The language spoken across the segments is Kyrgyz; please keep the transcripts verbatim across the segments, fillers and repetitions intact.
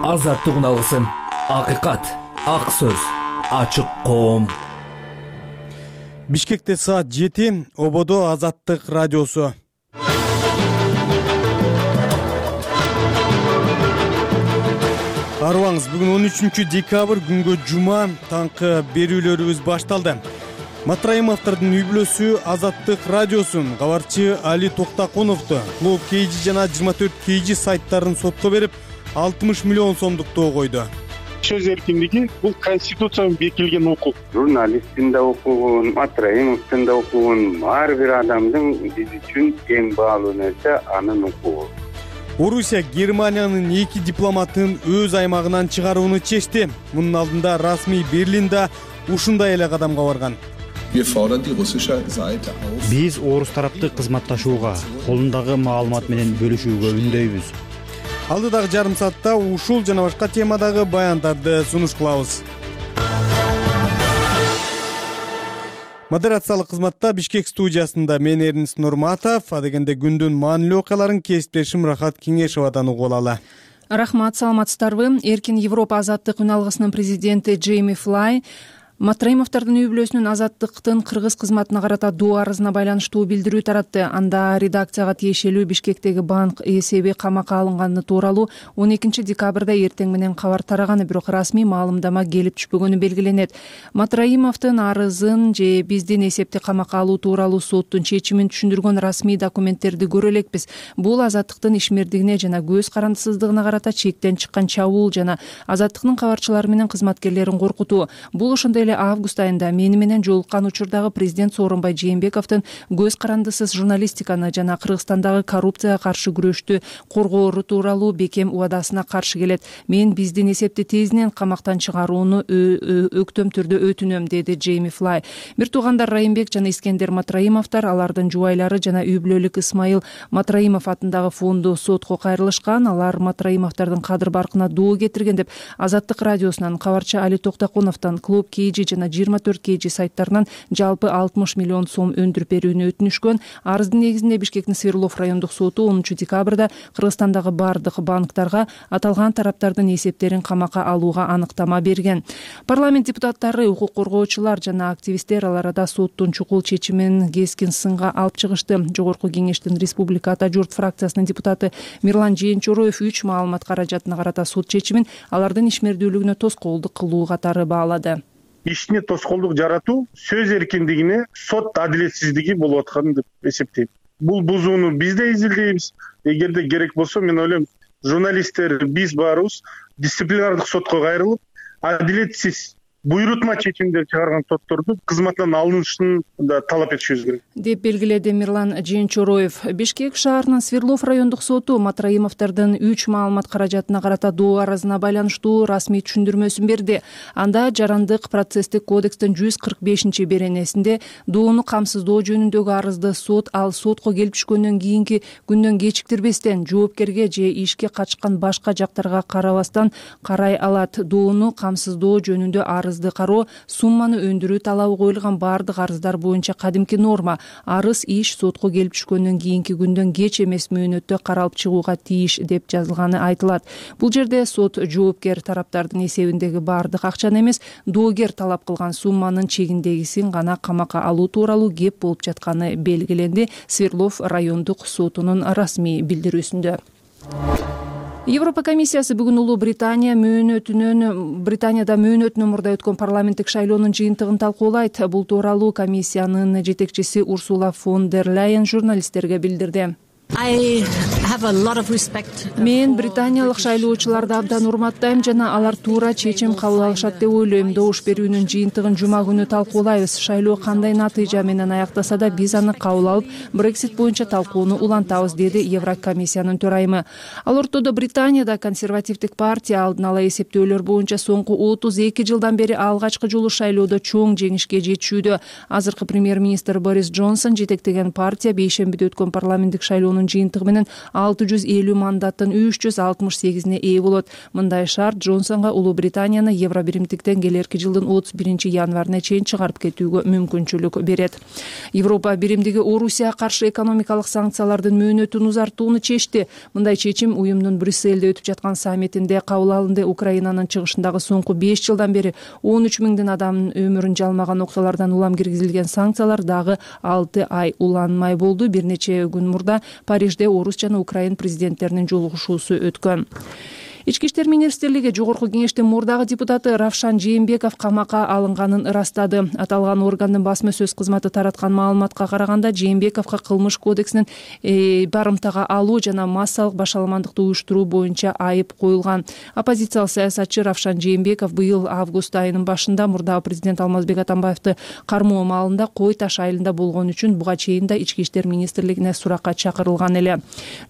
азаттык уналысын, акыйкат, ак сөз, ачык коом. Бишкекте саат жети, Ободо Азаттык радиосу. Арыбаңыз, бүгүн он үчүнчү декабрь, күнгө жума, таңкы берүүлөрүбүз башталды. Матраимовдордун үй бүлөсү Азаттык радиосун кабарчы Али Токтакуновду Клуб кей жи жана жыйырма төрт кей жи сайттарын сотко берип, алтымыш миллион сомдуктоо койду. Сөз эркиндиги бул конституцияга бекилген укук. Журналисттин да укугун, Матраимовдун да укугун, ар бир адамдын биз үчүн эң баалуу нерсе анын укугу. Орусия Германиянын эки дипломатын өз аймагынан чыгарууну чечти. Мунун алдында расмий Берлинде ушундай эле кадамга барган. Биз орус тарапты кызматташууга, колундагы маалымат менен бөлүшүүгө үндөйбүз. Алдыдагы жарым саатта ушул жана башка темадагы баяндарды сунуш кылабыз. Модерациялык кызматта Бишкек студиясында мен Эрнис Нурматов, адегенде күндүн маанилүү окуяларын кесиптешим Рахат Кеңешовадан угуп алалы. Рахмат, саламатсыздарбы? Эркин Европа азаттык үналгысынын президенти Джейми Флай Матраимовдордун үй бүлөсүнүн азаттыктын кыргыз кызматына карата доо арызына байланыштуу билдирүү таратты. Анда редакцияга тиешелүү Бишкектеги банк эсеби камакка алынганы тууралуу он экинчи декабрда эртең менен кабар тараганы, бирок расмий маалымдама келип түшпөгөнү белгиленет. Матраимовдун арызын же биздин эсепти камакка алуу тууралуу соттун чечимин түшүндүргөн расмий документтерди көрө элекпиз. Бул азаттыктын ишмердигине жана көз карандысыздыгына карата чектен чыккан чабуул жана азаттыктын кабарчылары менен кызматкерлерин коркутуу. Бул ошондой август айында мени менен жолуккан учурдагы президент Сооронбай Жээнбековдун көз карандысыз журналистиканы жана Кыргызстандагы коррупцияга каршы күрөштү коргоору тууралуу бекем убадасына каршы келет. Мен биздин эсепти тезинен камактан чыгарууну өктөм түрдө өтүнөм, деди Джейми Флай. Бир туугандар Райымбек жана Искендер Матраимовдор, алардын жубайлары жана үй бүлөлүк Исмайыл Матраимов атындагы фонду сотко кайрылышкан. Алар Матраимовдордун кадыр баркына доо кетирген деп Азаттык радиосунан кабарчы Али Токтакуновдон Клуб кей жи жана жыйырма төрт кей жи сайттарынан жалпы алтымыш миллион сом өндүрүп берүүнү өтүнүшкөн. Арыздын негизинде Бишкектин Свердлов райондук соту онунчу декабрда Кыргызстандагы бардык банктарга аталган тараптардын эсептерин камакка алууга аныктама берген. Парламент депутаттары, укук коргоочулар жана активисттер ал арада соттун чукул чечимин кескин сынга алып чыгышты. Жогорку кеңештин Республика Ата журт фракциясынын депутаты Мирлан Жээнчороев үч маалымат каражатына карата сот чечимин алардын ишмердүүлүгүнө тоскоолдук кылуу катары баалады. Ишине тоскоолдук жаратуу сөз эркиндигине, сот адилетсиздиги болуп аткан деп эсептейм. Бул бузууну биз да изилдейбиз. Эгерде керек болсо, мен ойлойм, журналисттер биз баарыбыз дисциплинардык сотко кайрылып, адилетсиз буйрутма чечимдер чыгарган сотторду кызматтан алынышын да талап этишибиз керек, деп белгиледи Мирлан Жээнчороев. Бишкек шаарынын Свердлов райондук соту Матраимовдордун үч маалымат каражатына карата доо арызына байланыштуу расмий түшүндүрмөсүн берди. Анда жарандык процесстик кодекстин жүз кырк бешинчи беренесинде доону камсыздоо жөнүндөгү арызды сот ал сотко келип түшкөндөн кийинки күндөн кечиктирбестен жоопкерге же ишке качкан башка жактарга карабастан карай алат. Доону камсыздоо жөнүндө арыз кароо сумманы өндүрүү талабы коюлган бардык арыздар боюнча кадимки норма. Арыз иш сотко келип түшкөндөн кийинки күндөн кеч эмес мөөнөттө каралып чыгууга тийиш деп жазылганы айтылат. Бул жерде сот жоопкер тараптардын эсебиндеги бардык акчаны эмес, доогер талап кылган сумманын чегиндегисин гана камакка алуу тууралуу кеп болуп жатканы белгиленди Свердлов райондук сотунун расмий билдирүүсүндө. Европа комиссиясы бүгүн Улуу Британия мөөнөтүнөн Британияда мөөнөтүнөн мурда өткөн парламенттик шайлоонун жыйынтыгын талкуулайт. Бул тууралуу комиссиянын жетекчиси Урсула фон дер Ляйен журналисттерге билдирди. Мен британиялык шайлоочуларды абдан урматтайм жана алар туура чечим кабыл алышат деп ойлойм. Добуш берүүнүн жыйынтыгын жума күнү талкуулайбыз. Шайлоо кандай натыйжа менен аяктаса да биз аны кабыл алып, Брексит боюнча талкууну улантабыз, деди Еврокомиссиянын төрайымы. Ал ортодо Британияда консервативдик партия алдын ала эсептөөлөр боюнча соңку отуз эки жылдан бери алгачкы жолу шайлоодо чоң жеңишке жетишүүдө. Азыркы премьер-министр Борис Джонсон жетектеген партия бейшембиде өткөн парламенттик шайлоонун жыйынтыгы менен алты жүз элүү мандаттын үч жүз алтымыш сегизине ээ болот. Мындай шарт Джонсонго Улуу Британияны Евро биримдиктен келерки жылдын отуз биринчи январына чейин чыгарып кетүүгө мүмкүнчүлүк берет. Европа биримдиги Орусияга каршы экономикалык санкциялардын мөөнөтүн узартууну чечти. Мындай чечим уюмдун Брюссельде өтүп жаткан саммитинде кабыл алынды. Украинанын чыгышындагы соңку беш жылдан бери он үч миңден адамдын өмүрүн жалмаган окуялардан улам киргизилген санкциялар дагы алты ай уланмай болду. Бир нече күн мурда Парижде Орус жана Украин президенттеринин жолугушуусу өткөн. Ички иштер министрлиги Жогорку кеңештин мурдагы депутаты Равшан Жээнбеков камакка алынганын ырастады. Аталган органдын басма сөз кызматы тараткан маалыматка караганда, Жээнбековго кылмыш кодексинин э, барымтага алуу жана массалык башаламандыкты уюштуруу боюнча айып коюлган. Оппозициялык саясатчы Равшан Жээнбеков быйыл август айынын башында мурдагы президент Алмазбек Атамбаевди кармоо маалында Кой Таш айылында болгон үчүн буга чейин да ички иштер министрлигине суракка чакырылган эле.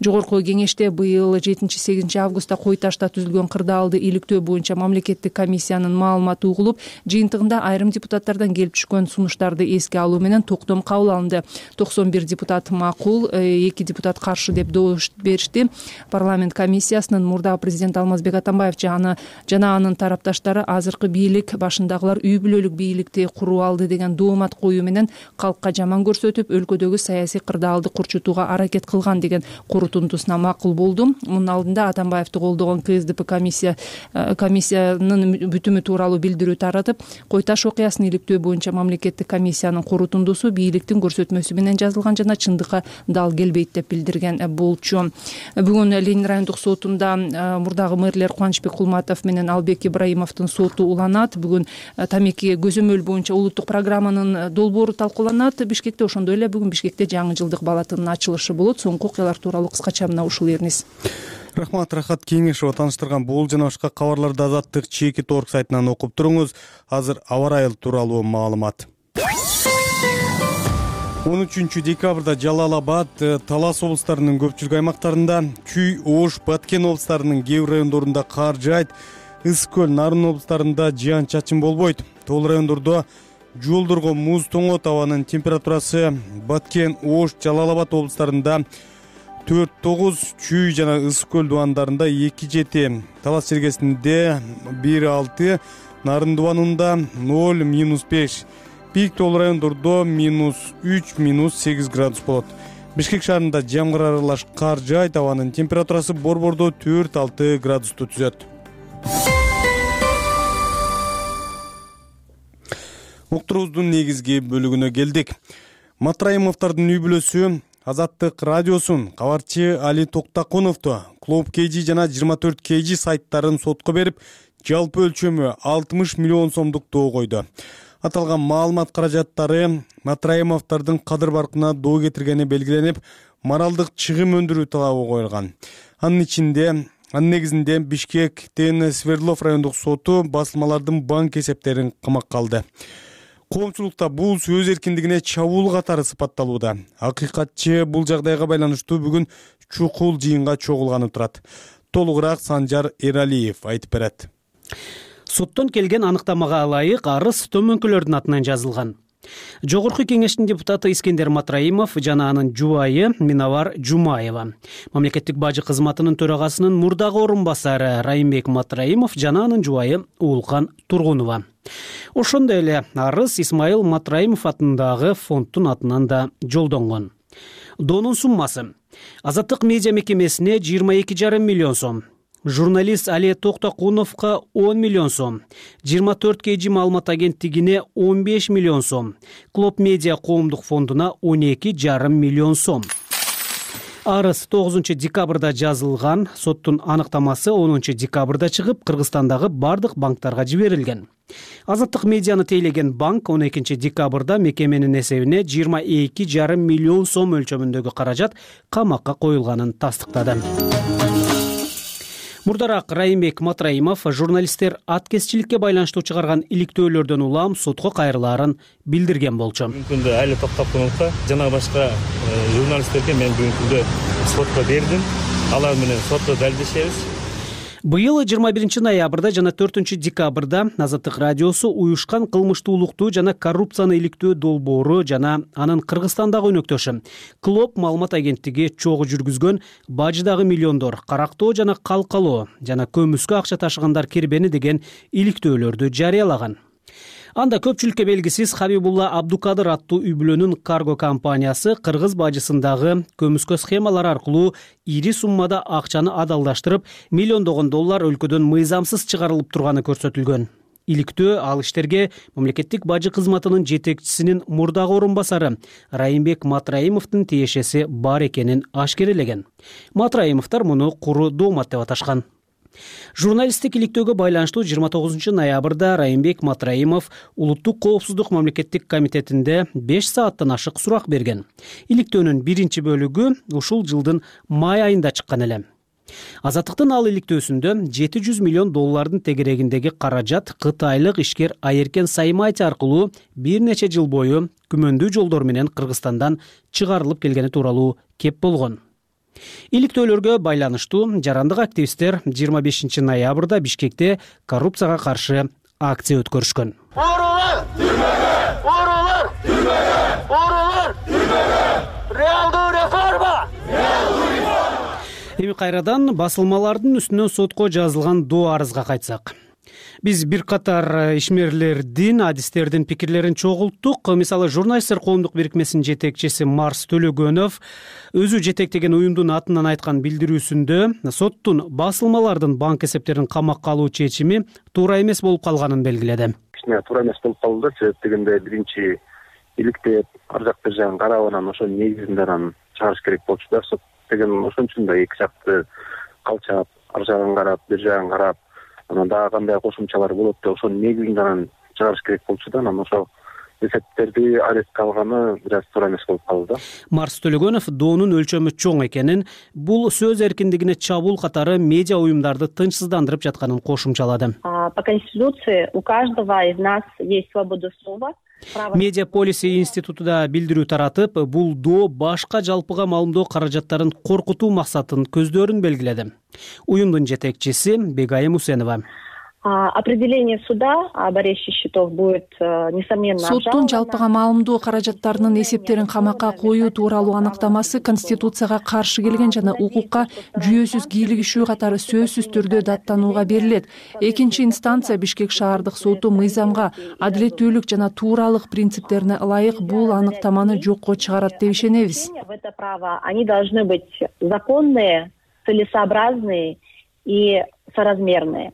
Жогорку кеңеште быйыл жетинчи сегизинчи августта Кой Ташта түзүлгөн кырдаалды иликтөө боюнча мамлекеттик комиссиянын маалыматы угулуп, жыйынтыгында айрым депутаттардан келип түшкөн сунуштарды эске алуу менен токтом кабыл алынды. токсон бир депутат макул, эки депутат каршы деп добуш беришти. Парламент комиссиясынын мурдагы президент Алмазбек Атамбаев жана жана анын тарапташтары азыркы бийлик башындагылар үй бүлөлүк бийликти куруп алды деген доомат коюу менен калкка жаман көрсөтүп, өлкөдөгү саясий кырдаалды курчутууга аракет кылган деген корутундусуна макул болду. Мунун алдында Атамбаевди колдогон КСДП комиссия комиссиянын бүтүмү тууралуу билдирүү таратып, Кой Таш окуясын иликтөө боюнча мамлекеттик комиссиянын корутундусу бийликтин көрсөтмөсү менен жазылган жана чындыкка дал келбейт деп билдирген болчу. Бүгүн Ленин райондук сотунда мурдагы мэрлер Кубанычбек Кулматов менен Албек Ибраимовдун соту уланат. Бүгүн тамеки көзөмөл боюнча улуттук программанын долбоору талкууланат Бишкекте. Ошондой эле бүгүн Бишкекте жаңы жылдык балатынын ачылышы болот. Соңку окуялар тууралуу кыскача мына ушул эрниз. Рахмат, Рахат Кеңешова тааныштырган бул жана башка кабарларды Азаттык чеки торг сайтынан окуп туруңуз. Азыр аба ырайы тууралуу маалымат. он үчүнчү декабрда Жалал Абад, Талас облустарынын көпчүлүк аймактарында, Чүй, Ош, Баткен облустарынын кээ бир райондорунда кар жаайт. Ысык көл, Нарын облустарында жыян чачын болбойт. Тоол райондордо жолдорго муз тоңот. Абанын температурасы Баткен, Ош, Жалал Абад облустарында төрт тогуз, Чүй жана Ысык көл дубандарында эки жети, Талас чергесинде бир алты, Нарын дубанында ноль минус беш, Пик тоол райондордо минус үч, минус сегиз градус болот. Бишкек шаарында жамгыр аралаш кар жаайт. Абанын температурасы борбордо төрт алты градусту түзөт. Уктуруубуздун негизги бөлүгүнө келдик. Матраимовдордун үй бүлөсү Азаттык радиосун кабарчы Али Токтакуновду Клуб кей жи жана жыйырма төрт кей жи сайттарын сотко берип, жалпы өлчөмү алтымыш миллион сомдук доо койду. Аталган маалымат каражаттары Матраимовдордун кадыр баркына доо кетиргени белгиленип, моралдык чыгым өндүрүү талабы коюлган. Анын ичинде анын негизинде Бишкектин Свердлов райондук соту басылмалардын банк эсептерин камакка алды. Коомчулукта бул сөз эркиндигине чабуул катары сыпатталууда. Акыйкатчы бул жагдайга байланыштуу бүгүн чукул жыйынга чогулганып турат. Толугураак Санжар Эралиев айтып берет. Соттон келген аныктамага ылайык арыз төмөнкүлөрдүн атынан жазылган. Жогорку кеңештин депутаты Искендер Матраимов жана анын жубайы Минавар Жумаева, мамлекеттик бажы кызматынын төрагасынын мурдагы орун басары Райымбек Матраимов жана анын жубайы Уулкан Тургунова. Ошондой эле арыз Исмаил Матраимов атындагы фонддун атынан да жолдонгон. Доонун суммасы Азаттык медиа мекемесине жыйырма эки жарым миллион сом, журналист Али Токтакуновго он миллион сом, жыйырма төрт кей жи маалымат агенттигине он беш миллион сом, Клуб медиа коомдук фондуна он эки жарым миллион сом. Арыз тогузунчу декабрда жазылган, соттун аныктамасы онунчу декабрда чыгып, Кыргызстандагы бардык банктарга жиберилген. Азаттык медианы тейлеген банк он экинчи декабрда мекеменин эсебине жыйырма эки жарым миллион сом өлчөмүндөгү каражат камакка коюлганын тастыктады. Мурдараак Райымбек Матраимов журналисттер аткезчиликке байланыштуу чыгарган иликтөөлөрдөн улам сотко кайрылаарын билдирген болчу. Бүгүнкү күндө Али Токтакуновго жана башка журналисттерге мен бүгүнкү күндө сотко бердим. Алар менен сотто далилдешебиз. Быйыл жыйырма биринчи ноябрда жана төртүнчү декабрда Азаттык радиосу уюшкан кылмыштуулукту жана коррупцияны иликтөө долбоору жана анын Кыргызстандагы өнөктөшү Клоп маалымат агенттиги чогуу жүргүзгөн Бажыдагы миллиондор, Карактоо жана Калкалоо жана көмүскө акча ташыгандар кирбени деген иликтөөлөрдү жарыялаган. Анда көпчүлүккө белгисиз Хабибулла Абдукадыр аттуу үй бүлөнүн карго компаниясы Кыргыз бажысындагы көмүскө схемалар аркылуу ири суммада акчаны адалдаштырып, миллиондогон доллар өлкөдөн мыйзамсыз чыгарылып турганы көрсөтүлгөн. Иликтөө ал иштерге мамлекеттик бажы кызматынын жетекчисинин мурдагы орун басары Райымбек Матраимовдун тиешеси бар экенин ашкерелеген. Матраимовдор муну куру доомат деп аташкан. Журналисттик иликтөөгө байланыштуу жыйырма тогузунчу ноябрда Райымбек Матраимов Улуттук коопсуздук мамлекеттик комитетинде беш сааттан ашык сурак берген. Иликтөөнүн биринчи бөлүгү ушул жылдын май айында чыккан эле. Азаттыктын ал иликтөөсүндө жети жүз миллион доллардын тегерегиндеги каражат кытайлык ишкер Айеркен Саймати аркылуу бир нече жыл бою күмөндүү жолдор менен Кыргызстандан чыгарылып келгени тууралуу кеп болгон. Иликтөөлөргө байланыштуу жарандык активисттер жыйырма бешинчи ноябрда Бишкекте коррупцияга каршы акция өткөрүшкөн. Оорулар түрмөгө! Оорулар түрмөгө! Оорулар түрмөгө! Реалдуу реформа! Реалдуу реформа! Эми кайрадан басылмалардын үстүнөн сотко жазылган доо арызга кайтсак. Биз бир катар ишмерлердин, адистердин пикирлерин чогулттук. Мисалы, журналисттер коомдук бирикмесинин жетекчиси Марс Төлөгөнов өзү жетектеген уюмдун атынан айткан билдирүүсүндө соттун басылмалардын банк эсептерин камакка алуу чечими туура эмес болуп калганын белгиледи. Кичине туура эмес болуп калды, себеп дегенде биринчи иликтеп, ар жак бир жагын карап анан ошонун негизинде анан чыгарыш керек болчу да. Сот деген ошон үчүн да эки жакты калчап, ар жагын карап, бир жагын карап, анан дагы кандай кошумчалар болот деп ошонун негизинде анан чыгарыш керек болчу да. Анан ошо эсептерди арестке алганы бир аз туура эмес болуп калды да. Марс Төлөгөнов доонун өлчөмү чоң экенин, бул сөз эркиндигине чабуул катары медиа уюмдарды тынчсыздандырып жатканын кошумчалады. По Конституции у каждого из нас есть свобода слова. Медиа полиси институтуда билдирүү таратып, бул доо башка жалпыга маалымдоо каражаттарын коркутуу максатын көздөрүн белгиледи. Уюмдун жетекчиси Бегайым Усенова. Определение суда об аресте счетов будет несомненно обжаловано. Соттун жалпыга маалымдоо каражаттарынын эсептерин камакка коюу тууралуу аныктамасы Конституцияга каршы келген жана укукка жүйөсүз кийлигишүү катары сөзсүз түрдө даттанууга берилет. Экинчи инстанция Бишкек шаардык соту мыйзамга, адилеттүүлүк жана тууралык принциптерине ылайык бул аныктаманы жокко чыгарат деп ишенебиз. В это право они должны быть законные, целесообразные и соразмерные.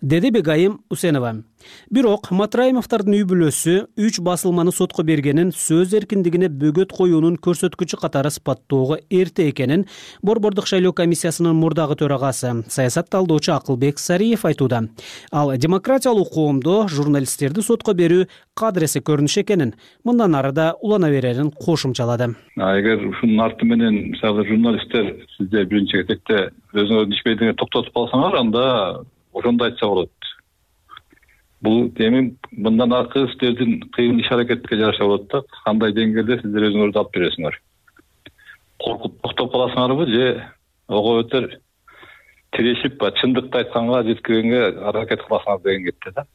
Деди Бегайым Усенова. Бирок Матраимовдордун үй бүлөсү үч басылманы сотко бергенин сөз эркиндигине бөгөт коюунун көрсөткүчү катары сыпаттоого эрте экенин Борбордук шайлоо комиссиясынын мурдагы төрагасы, саясат талдоочу Акылбек Сариев айтууда. Ал демократиялуу коомдо журналисттерди сотко берүү кадыресе көрүнүш экенин, мындан ары да улана берерин кошумчалады. Эгер ушунун арты менен мисалы журналисттер сиздер биринчи кезекте өзүңөрдүн ишмердигине токтотуп калсаңар, анда ошондо айтса болот. Бул эми мындан аркы сиздердин кыйын иш аракетке жараша болот да, кандай деңгээлде сиздер өзүңөрдү алып бересиңер. Коркуп токтоп каласыңарбы же ого өтөр тирешип, чындыкты айтканга жеткиргенге аракет кыласыңар деген кетти да.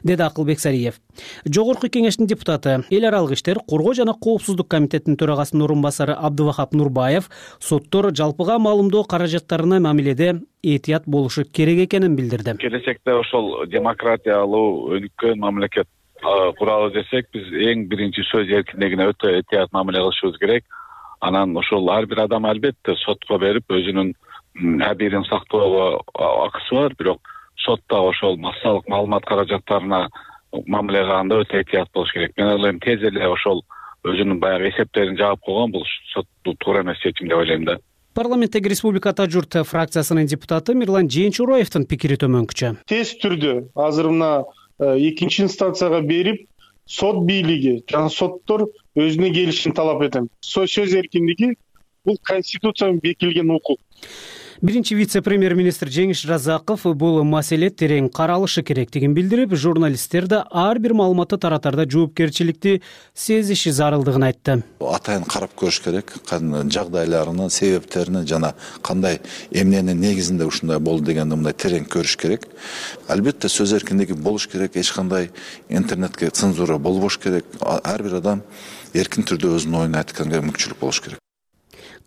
Деди Акылбек Сариев. Жогорку кеңештин депутаты, эл аралык иштер, коргоо жана коопсуздук комитетинин төрагасынын орун басары Абдывахап Нурбаев соттор жалпыга маалымдоо каражаттарына мамиледе этият болушу керек экенин билдирди. Келечекте ошол демократиялуу өнүккөн мамлекет куралы десек, биз эң биринчи сөз эркиндигине өтө этият мамиле кылышыбыз керек. Анан ошол ар бир адам албетте сотко берип өзүнүн абийирин сактоого акысы бар, бирок сотто ошол массалык маалымат каражаттарына мамиле кылганда өтө этият болуш керек. Мен ойлойм, тез эле ошол өзүнүн баягы эсептерин жаап койгон бул соттун туура эмес чечим деп ойлойм да. Парламенттеги Республика Тажурт фракциясынын депутаты Мирлан Жээнчуроевдин пикири төмөнкүчө. Тез түрдө азыр мына экинчи инстанцияга берип, сот бийлиги жана соттор өзүнө келишин талап этем. Сөз эркиндиги бул конституцияда бекитилген укук. Биринчи вице-премьер-министр Жеңиш Разаков бул маселе терең каралышы керектигин билдирип, журналисттер да ар бир маалыматты таратарда жоопкерчиликти сезиши зарылдыгын айтты. Атайын карап көрүш керек, жагдайларынын, себептерин жана кандай эмненин негизинде ушундай болду дегенди мындай терең көрүш керек. Албетте сөз эркиндиги болуш керек, эч кандай интернетке цензура болбош керек. Ар бир адам эркин түрдө өзүнүн оюн айтканга мүмкүнчүлүк болуш керек.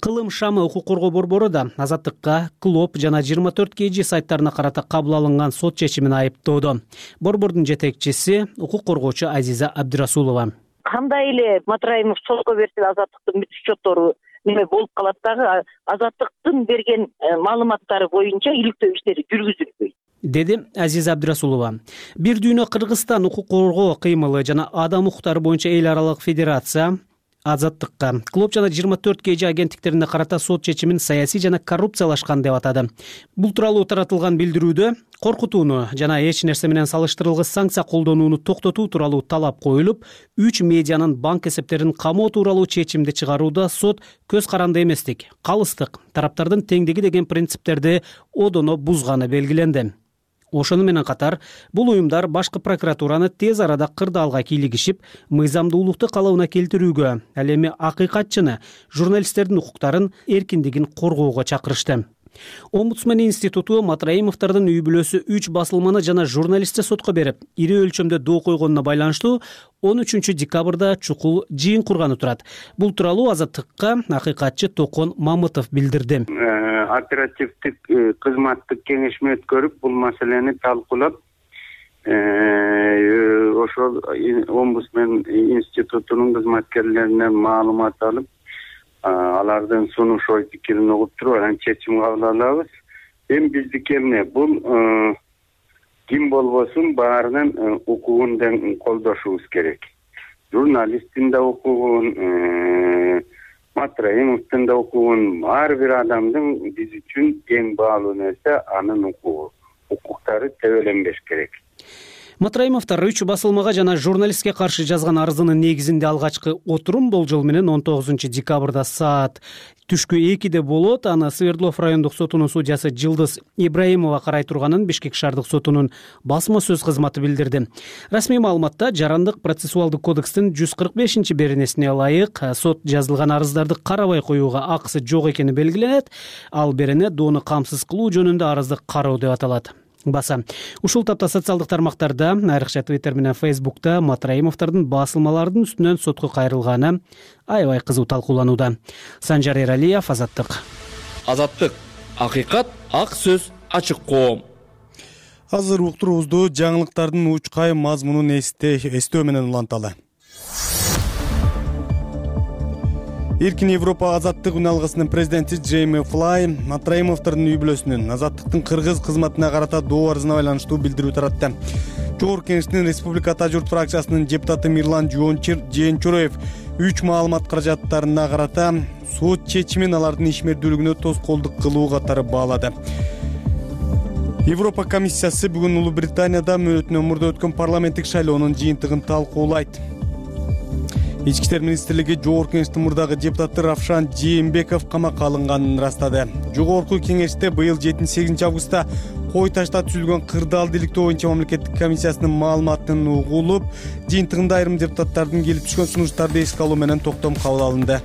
Кылым шамы укук коргоо борбору да Азаттыкка, Клоп жана жыйырма төрт кей жи сайттарына карата кабыл алынган сот чечимин айыптоодо. Борбордун жетекчиси укук коргоочу Азиза Абдырасулова. Кандай эле Матраимов сотко берсе Азаттыктын бүт счеттору неме болуп калат дагы, Азаттыктын берген маалыматтары боюнча иликтөө иштери жүргүзүлбөйт, деди Азиза Абдырасулова. Бир дүйнө Кыргызстан укук коргоо кыймылы жана адам укуктары боюнча эл аралык федерация Азаттыкка, Клоп жана жыйырма төрт кей жи агенттиктерине карата сот чечимин саясий жана коррупциялашкан деп атады. Бул тууралуу таратылган билдирүүдө коркутууну жана эч нерсе менен салыштырылгыс санкция колдонууну токтотуу тууралуу талап коюлуп, үч медианын банк эсептерин камоо тууралуу чечимди чыгарууда сот көз каранды эместик, калыстык, тараптардын теңдиги деген принциптерди одоно бузганы белгиленди. Ошону менен катар, бул уюмдар башкы прокуратураны тез арада кырдаалга кийлигишип, мыйзамдуулукту калыбына келтирүүгө, ал эми акыйкатчыны, журналисттердин укуктарын, эркиндигин коргоого чакырышты. Омбудсмен институту Матраимовдордун үй бүлөсү үч басылманы жана журналистти сотко берип, ири өлчөмдө доо койгонуна байланыштуу он үчүнчү декабрда чукул жыйын курганы турат. Бул тууралуу Азаттыкка акыйкатчы Токон Мамытов билдирди. Оперативдик кызматтык кеңешме өткөрүп, бул маселени талкуулап, ошол Омбудсмен институтунун кызматкерлеринен маалымат алып, алардын сунуш ой пикирин угуп туруп, анан чечим кабыл алабыз. Эми биздики эмне? Бул ким болбосун баарынын укугун колдошубуз керек. Журналисттин да укугун, Матраимовдун да укугун, ар бир адамдын биз үчүн эң баалуу нерсе анын укугу. Укуктары тебеленбеш керек. Матраимовдор үч басылмага жана журналистке каршы жазган арызынын негизинде алгачкы отурум болжол менен он тогузунчу декабрда саат түшкү экиде болот. Аны Свердлов райондук сотунун судьясы Жылдыз Ибраимова карай турганын Бишкек шаардык сотунун басма сөз кызматы билдирди. Расмий маалыматта Жарандык процессуалдык кодекстин жүз кырк бешинчи беренесине ылайык сот жазылган арыздарды карабай коюуга акысы жок экени белгиленет. Ал берене доону камсыз кылуу жөнүндө арызды кароо деп аталат. Баса. Ушул тапта социалдык тармактарда, айрыкча Twitter менен Facebook'та Матраимовдордун басылмалардын үстүнөн сотко кайрылганы аябай кызуу талкууланууда. Санжар Эралиев, Азаттык. Азаттык. Акыйкат, ак сөз, ачык коом. Азыр уктуруубузду жаңылыктардын учкай мазмунун эстөө менен уланталы. Эркин Европа азаттык үналгысынын президенти Джейми Флай Матраимовдордун үй бүлөсүнүн азаттыктын кыргыз кызматына карата доо арызына байланыштуу билдирүү таратты. Жогорку Кеңештин Республика Ата журт фракциясынын депутаты Мирлан Жээнчуроев үч маалымат каражаттарына карата сот чечимин алардын ишмердүүлүгүнө тоскоолдук кылуу катары баалады. Европа комиссиясы бүгүн Улуу Британияда мөөнөтүнөн мурда өткөн парламенттик шайлоонун жыйынтыгын талкуулайт. Ички иштер министрлиги Жогорку Кеңештин мурдагы депутаты Равшан Жээнбеков камакка алынганын ырастады. Жогорку Кеңеште быйыл жетинчи сегизинчи августта кой ташта түзүлгөн кырдаал иликтөө боюнча мамлекеттик комиссиясынын маалыматын угулуп, жыйынтыгында айрым депутаттардын келип түшкөн сунуштарды эске алуу менен токтом кабыл алынды.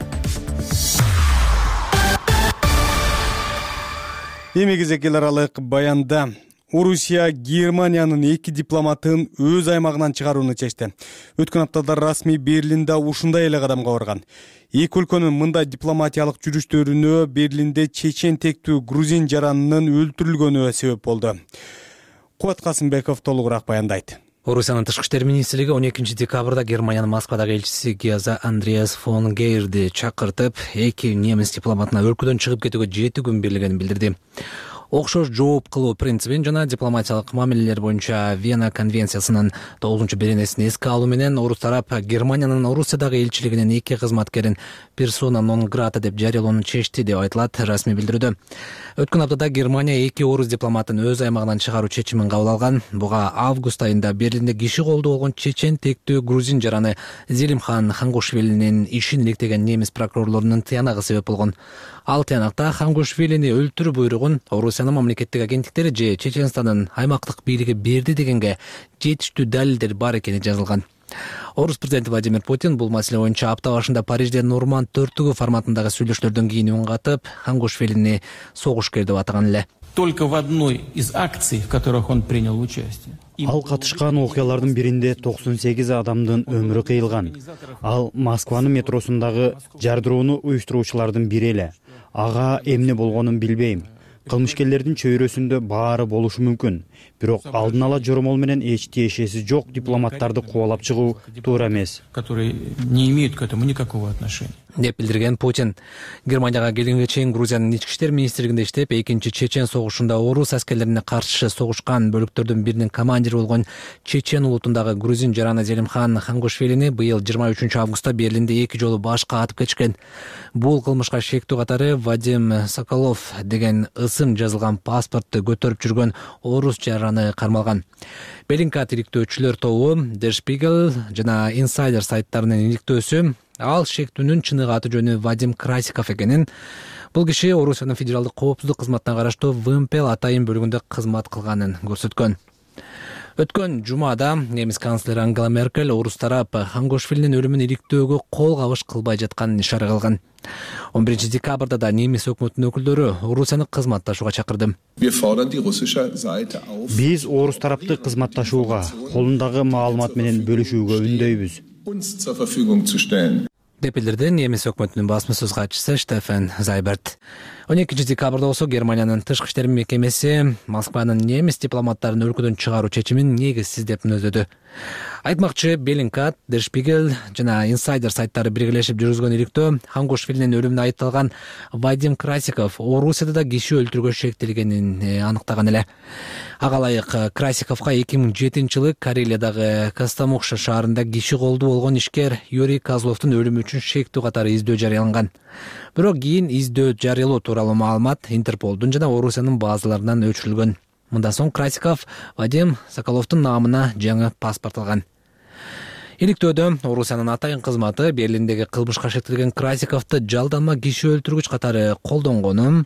Эми кезек эл аралык баянда Орусия Германиянын эки дипломатын өз аймагынан чыгарууну чечти. Өткөн аптада расмий Берлинде ушундай эле кадамга барган. Эки өлкөнүн мындай дипломатиялык жүрүштөрүнө Берлинде чечен тектүү грузин жаранынын өлтүрүлгөнү себеп болду. Кубат Касымбеков толугураак баяндайт. Орусиянын тышкы иштер министрлиги он экинчи декабрда Германиянын Москвадагы элчиси Геза Андреас фон Гейерди чакыртып, эки немис дипломатына өлкөдөн чыгып кетүүгө жети күн берилгенин билдирди. окшош жооп кылуу принцибин жана дипломатиялык мамилелер боюнча Вена конвенциясынын тогузунчу беренесин эске алуу менен орус тарап Германиянын Орусиядагы элчилигинин эки кызматкерин персона нон грата деп жарыялоону чечти деп айтылат расмий билдирүүдө. Өткөн аптада Германия эки орус дипломатын өз аймагынан чыгаруу чечимин кабыл алган. Буга август айында Берлинде киши колдуу болгон чечен тектүү грузин жараны Зелимхан Хангушвилинин ишин иликтеген немис прокурорлорунун тыянагы себеп болгон. Ал тыянакта Хангушвилини өлтүрүү буйругун Орусиянын мамлекеттик агенттиктери же Чеченстандын аймактык бийлиги берди дегенге жетиштүү далилдер бар экени жазылган. Орус президенти Владимир Путин бул маселе боюнча апта башында Парижде Норманд төртүгү форматындагы сүйлөшүүлөрдөн кийин үн катып, Хангушвилини согушкер деп атаган эле. Только в одной из акций, в которых он принял участие. Ал катышкан окуялардын биринде токсон сегиз адамдын өмүрү кыйылган. Ал Москванын метросундагы жардырууну уюштуруучулардын бири эле. Ага эмне болгонун билбейм. Кылмышкерлердин чөйрөсүндө баары болушу мүмкүн. Бирок алдын ала жоромол менен эч тиешеси жок дипломаттарды кубалап чыгуу туура эмес. Которые не имеют к этому никакого отношения. Деп билдирген Путин. Германияга келгенге чейин Грузиянын ички иштер министрлигинде иштеп, экинчи чечен согушунда орус аскерлерине каршы согушкан бөлүктөрдүн биринин командири болгон чечен улутундагы грузин жараны Зелимхан Хангушвилини быйыл жыйырма үчүнчү августта Берлинде эки жолу башка атып кетишкен. Бул кылмышка шектүү катары Вадим Соколов деген ысым жазылган паспортты көтөрүп жүргөн орус жараны кармалган. Беллинкат иликтөөчүлөр тобу Der Spiegel жана Insider сайттарынын иликтөөсү ал шектүүнүн чыныгы аты жөнү Вадим Красиков экенин, бул киши Орусиянын федералдык коопсуздук кызматына караштуу ВМП атайын бөлүгүндө кызмат кылганын көрсөткөн. Өткөн жумада немис канцлери Ангела Меркель орус тарап Хангушвилинин өлүмүн иликтөөгө кол кабыш кылбай жатканын ишара кылган. он биринчи декабрда да немис өкмөтүнүн өкүлдөрү Орусияны кызматташууга чакырды. Биз орус тарапты кызматташууга, колундагы маалымат менен бөлүшүүгө үндөйбүз. Деп билдирди немис өкмөтүнүн басма сөз катчысы Штефан Зайберт. он экинчи декабрда болсо Германиянын тышкы иштер мекемеси Москванын немис дипломаттарын өлкөдөн чыгаруу чечимин негизсиз деп мүнөздөдү. Айтмакчы, Беллинкат, Der Spiegel жана Insider сайттары биргелешип жүргүзгөн иликтөө Хангушвилинин өлүмүнө айыпталган Вадим Красиков Орусияда да киши өлтүрүүгө шектелгенин аныктаган эле. Ага ылайык Красиковго эки миң жетинчи жылы Карелиядагы Костомукша шаарында киши колдуу болгон ишкер Юрий Козловдун өлүмү үчүн шектүү катары издөө жарыяланган. Бирок кийин издөө жарыялоо тууралуу маалымат Интерполдун жана Орусиянын базаларынан өчүрүлгөн. Мындан соң Красиков Вадим Соколовдун наамына жаңы паспорт алган. Иликтөөдө Орусиянын атайын кызматы Берлиндеги кылмышка шектелген Красиковду жалданма киши өлтүргүч катары колдонгону,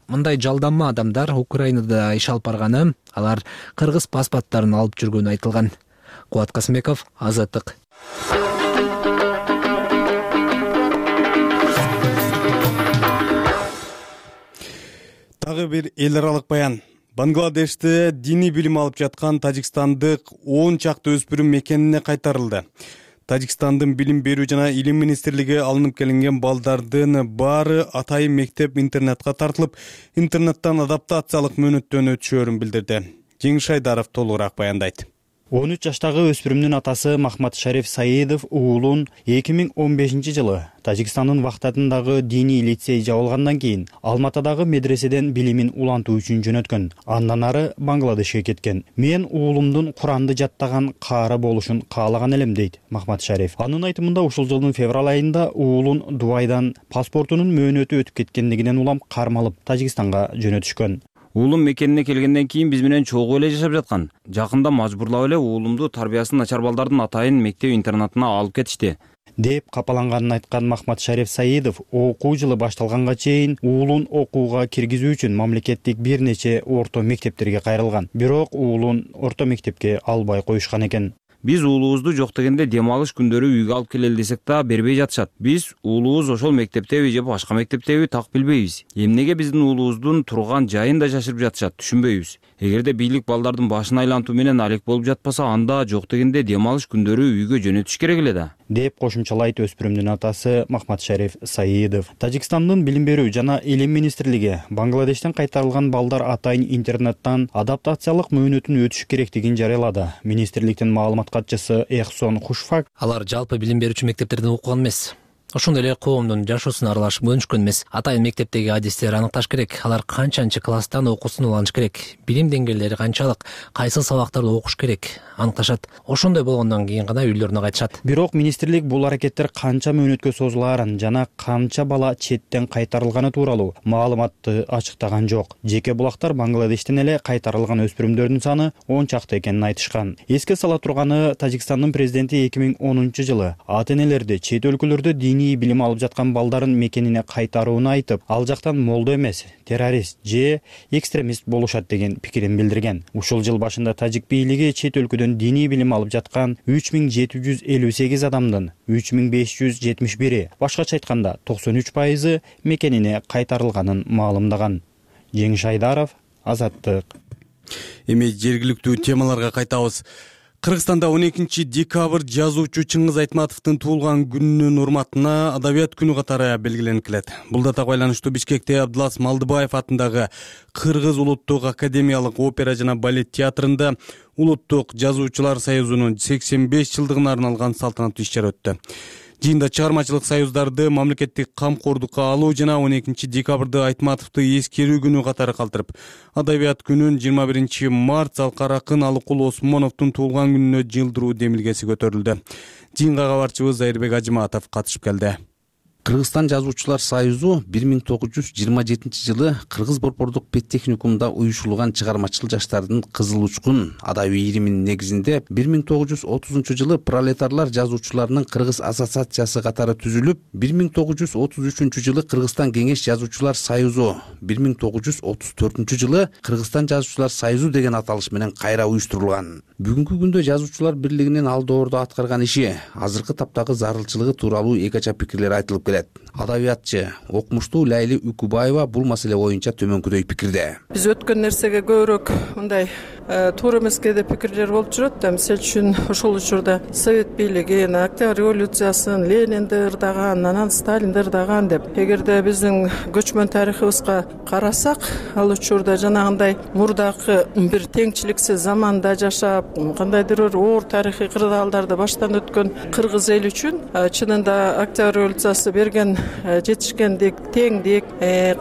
мындай жалданма адамдар Украинада иш алып барганы, алар кыргыз паспорттарын алып жүргөнү айтылган. Кубат Касымбеков, Азаттык. Дагы бир эл аралык баян. Бангладеште диний билим алып жаткан тажикстандык он чакты өспүрүм мекенине кайтарылды. Тажикстандын билим берүү жана илим министрлиги алынып келинген балдардын баары атайын мектеп интернетке тартылып, интернеттен адаптациялык мөөнөттөн өтүшөөрүн билдирди. Жеңиш Айдаров толугураак баяндайт. он үч жаштагы өспүрүмдүн атасы Махмат Шариф Саидов уулун эки миң он бешинчи жылы Тажикстандын Вахтатындагы диний лицей жабылгандан кийин Алматадагы медреседен билимин улантуу үчүн жөнөткөн. Андан ары Бангладешке кеткен. Мен уулумдун Куранды жаттаган каары болушун каалаган элем, дейт Махмат Шариф. Анын айтымында ушул жылдын февраль айында уулун Дубайдан паспортунун мөөнөтү өтүп кеткендигинен улам кармалып Тажикстанга жөнөтүшкөн. Уулум мекенине келгенден кийин биз менен чогуу эле жашап жаткан. Жакында мажбурлап эле уулумду тарбиясы начар балдардын атайын мектеп интернатына алып кетишти, деп капаланганын айткан Махмат Шариф Саидов окуу жылы башталганга чейин уулун окууга киргизүү үчүн мамлекеттик бир нече орто мектептерге кайрылган. Бирок уулун орто мектепке албай коюшкан экен. Биз уулубузду жок дегенде дем алыш күндөрү үйгө алып келели десек да бербей жатышат. Биз уулубуз ошол мектептеби же башка мектептеби так билбейбиз. Эмнеге биздин уулубуздун турган жайын да жашырып жатышат, түшүнбөйбүз. Эгерде бийлик балдардын башын айлантуу менен алек болуп жатпаса, анда жок дегенде дем алыш күндөрү үйгө жөнөтүш керек эле да, деп кошумчалайт өспүрүмдүн атасы Махмат Шариф Саидов. Тажикстандын билим берүү жана илим министрлиги Бангладештен кайтарылган балдар атайын интернеттен адаптациялык мөөнөтүн өтүш керектигин жарыялады. Министрликтин маалымат катчысы Эхсон Хушфак: алар жалпы билим берүүчү мектептерден окуган эмес. Ошондой эле коомдун жашоосуна аралашып өнүшкөн эмес. Атайын мектептеги адистер аныкташ керек. Алар канчанчы класстан окуусун уланыш керек, билим деңгээлдери канчалык, кайсы сабактарды окуш керек аныкташат. Ошондой болгондон кийин гана үйлөрүнө кайтышат. Бирок министрлик бул аракеттер канча мөөнөткө созулаарын жана канча бала четтен кайтарылганы тууралуу маалыматты ачыктаган жок. Жеке булактар Бангладештен эле кайтарылган өспүрүмдөрдүн саны он чакты экенин айтышкан. Эске сала турганы, Тажикстандын президенти эки миң онунчу жылы ата энелерди чет өлкөлөрдө диний билим алып жаткан балдарын мекенине кайтарууну айтып, ал жактан молдо эмес, террорист же экстремист болушат деген пикирин билдирген. Ушул жыл башында тажик бийлиги чет өлкөдөн диний билим алып жаткан үч миң жети жүз элүү сегиз адамдын үч миң беш жүз жетимиш бири, башкача айтканда токсон үч пайызы мекенине кайтарылганын маалымдаган. Жеңиш Айдаров, Азаттык. Эми жергиликтүү темаларга кайтабыз. Кыргызстанда он экинчи декабрь жазуучу Чыңгыз Айтматовдун туулган күнүнүн урматына Адабият күнү катары белгиленип келет. Бул датага байланыштуу Бишкекте Абдылас Малдыбаев атындагы Кыргыз улуттук академиялык опера жана балет театрында Улуттук жазуучулар союзунун сексен беш жылдыгына арналган салтанаттуу иш-чара өттү. Жыйында чыгармачылык союздарды мамлекеттик камкордукка алуу жана он экинчи декабрды Айтматовду эскерүү күнү катары калтырып, Адабият күнүн жыйырма биринчи март Залкар акын Алыкул Осмоновдун туулган күнүнө жылдыруу демилгеси көтөрүлдү. Жыйынга кабарчыбыз Зайырбек Ажыматов катышып келди. Кыргызстан жазуучулар союзу бир миң тогуз жүз жыйырма жетинчи жылы Кыргыз Борбордук педтехникумда уюшулган чыгармачыл жаштардын Кызыл учкун адабий ириминин негизинде бир миң тогуз жүз отузунчу жылы пролетарлар жазуучуларынын Кыргыз ассоциациясы катары түзүлүп, бир миң тогуз жүз отуз үчүнчү жылы Кыргызстан кеңеш жазуучулар союзу, бир миң тогуз жүз отуз төртүнчү жылы Кыргызстан жазуучулар союзу деген аталыш менен кайра уюштурулган. Бүгүнкү күндө жазуучулар бирлигинин алдоордо аткарган иши, азыркы таптагы зарылчылыгы тууралуу эки ача пикирлер айтылып келет. Адабиятчы, окумуштуу Лайли Үкүбаева бул маселе боюнча төмөнкүдөй пикирде. Биз өткөн нерсеге көбүрөөк мындай туура эмеске деп пикирлер болуп жүрөт да. Мисалы үчүн ошол учурда Совет бийлиги Октябрь революциясын Ленинди ырдаган, анан Сталинди ырдаган деп. Эгерде биздин көчмөн тарыхыбызга карасак, ал учурда жанагындай мурдакы бир теңчиликсиз заманда жашап, кандайдыр бир оор тарыхый кырдаалдарды баштан өткөн кыргыз эли үчүн чынында Октябрь революциясы берген жетишкендик, теңдик,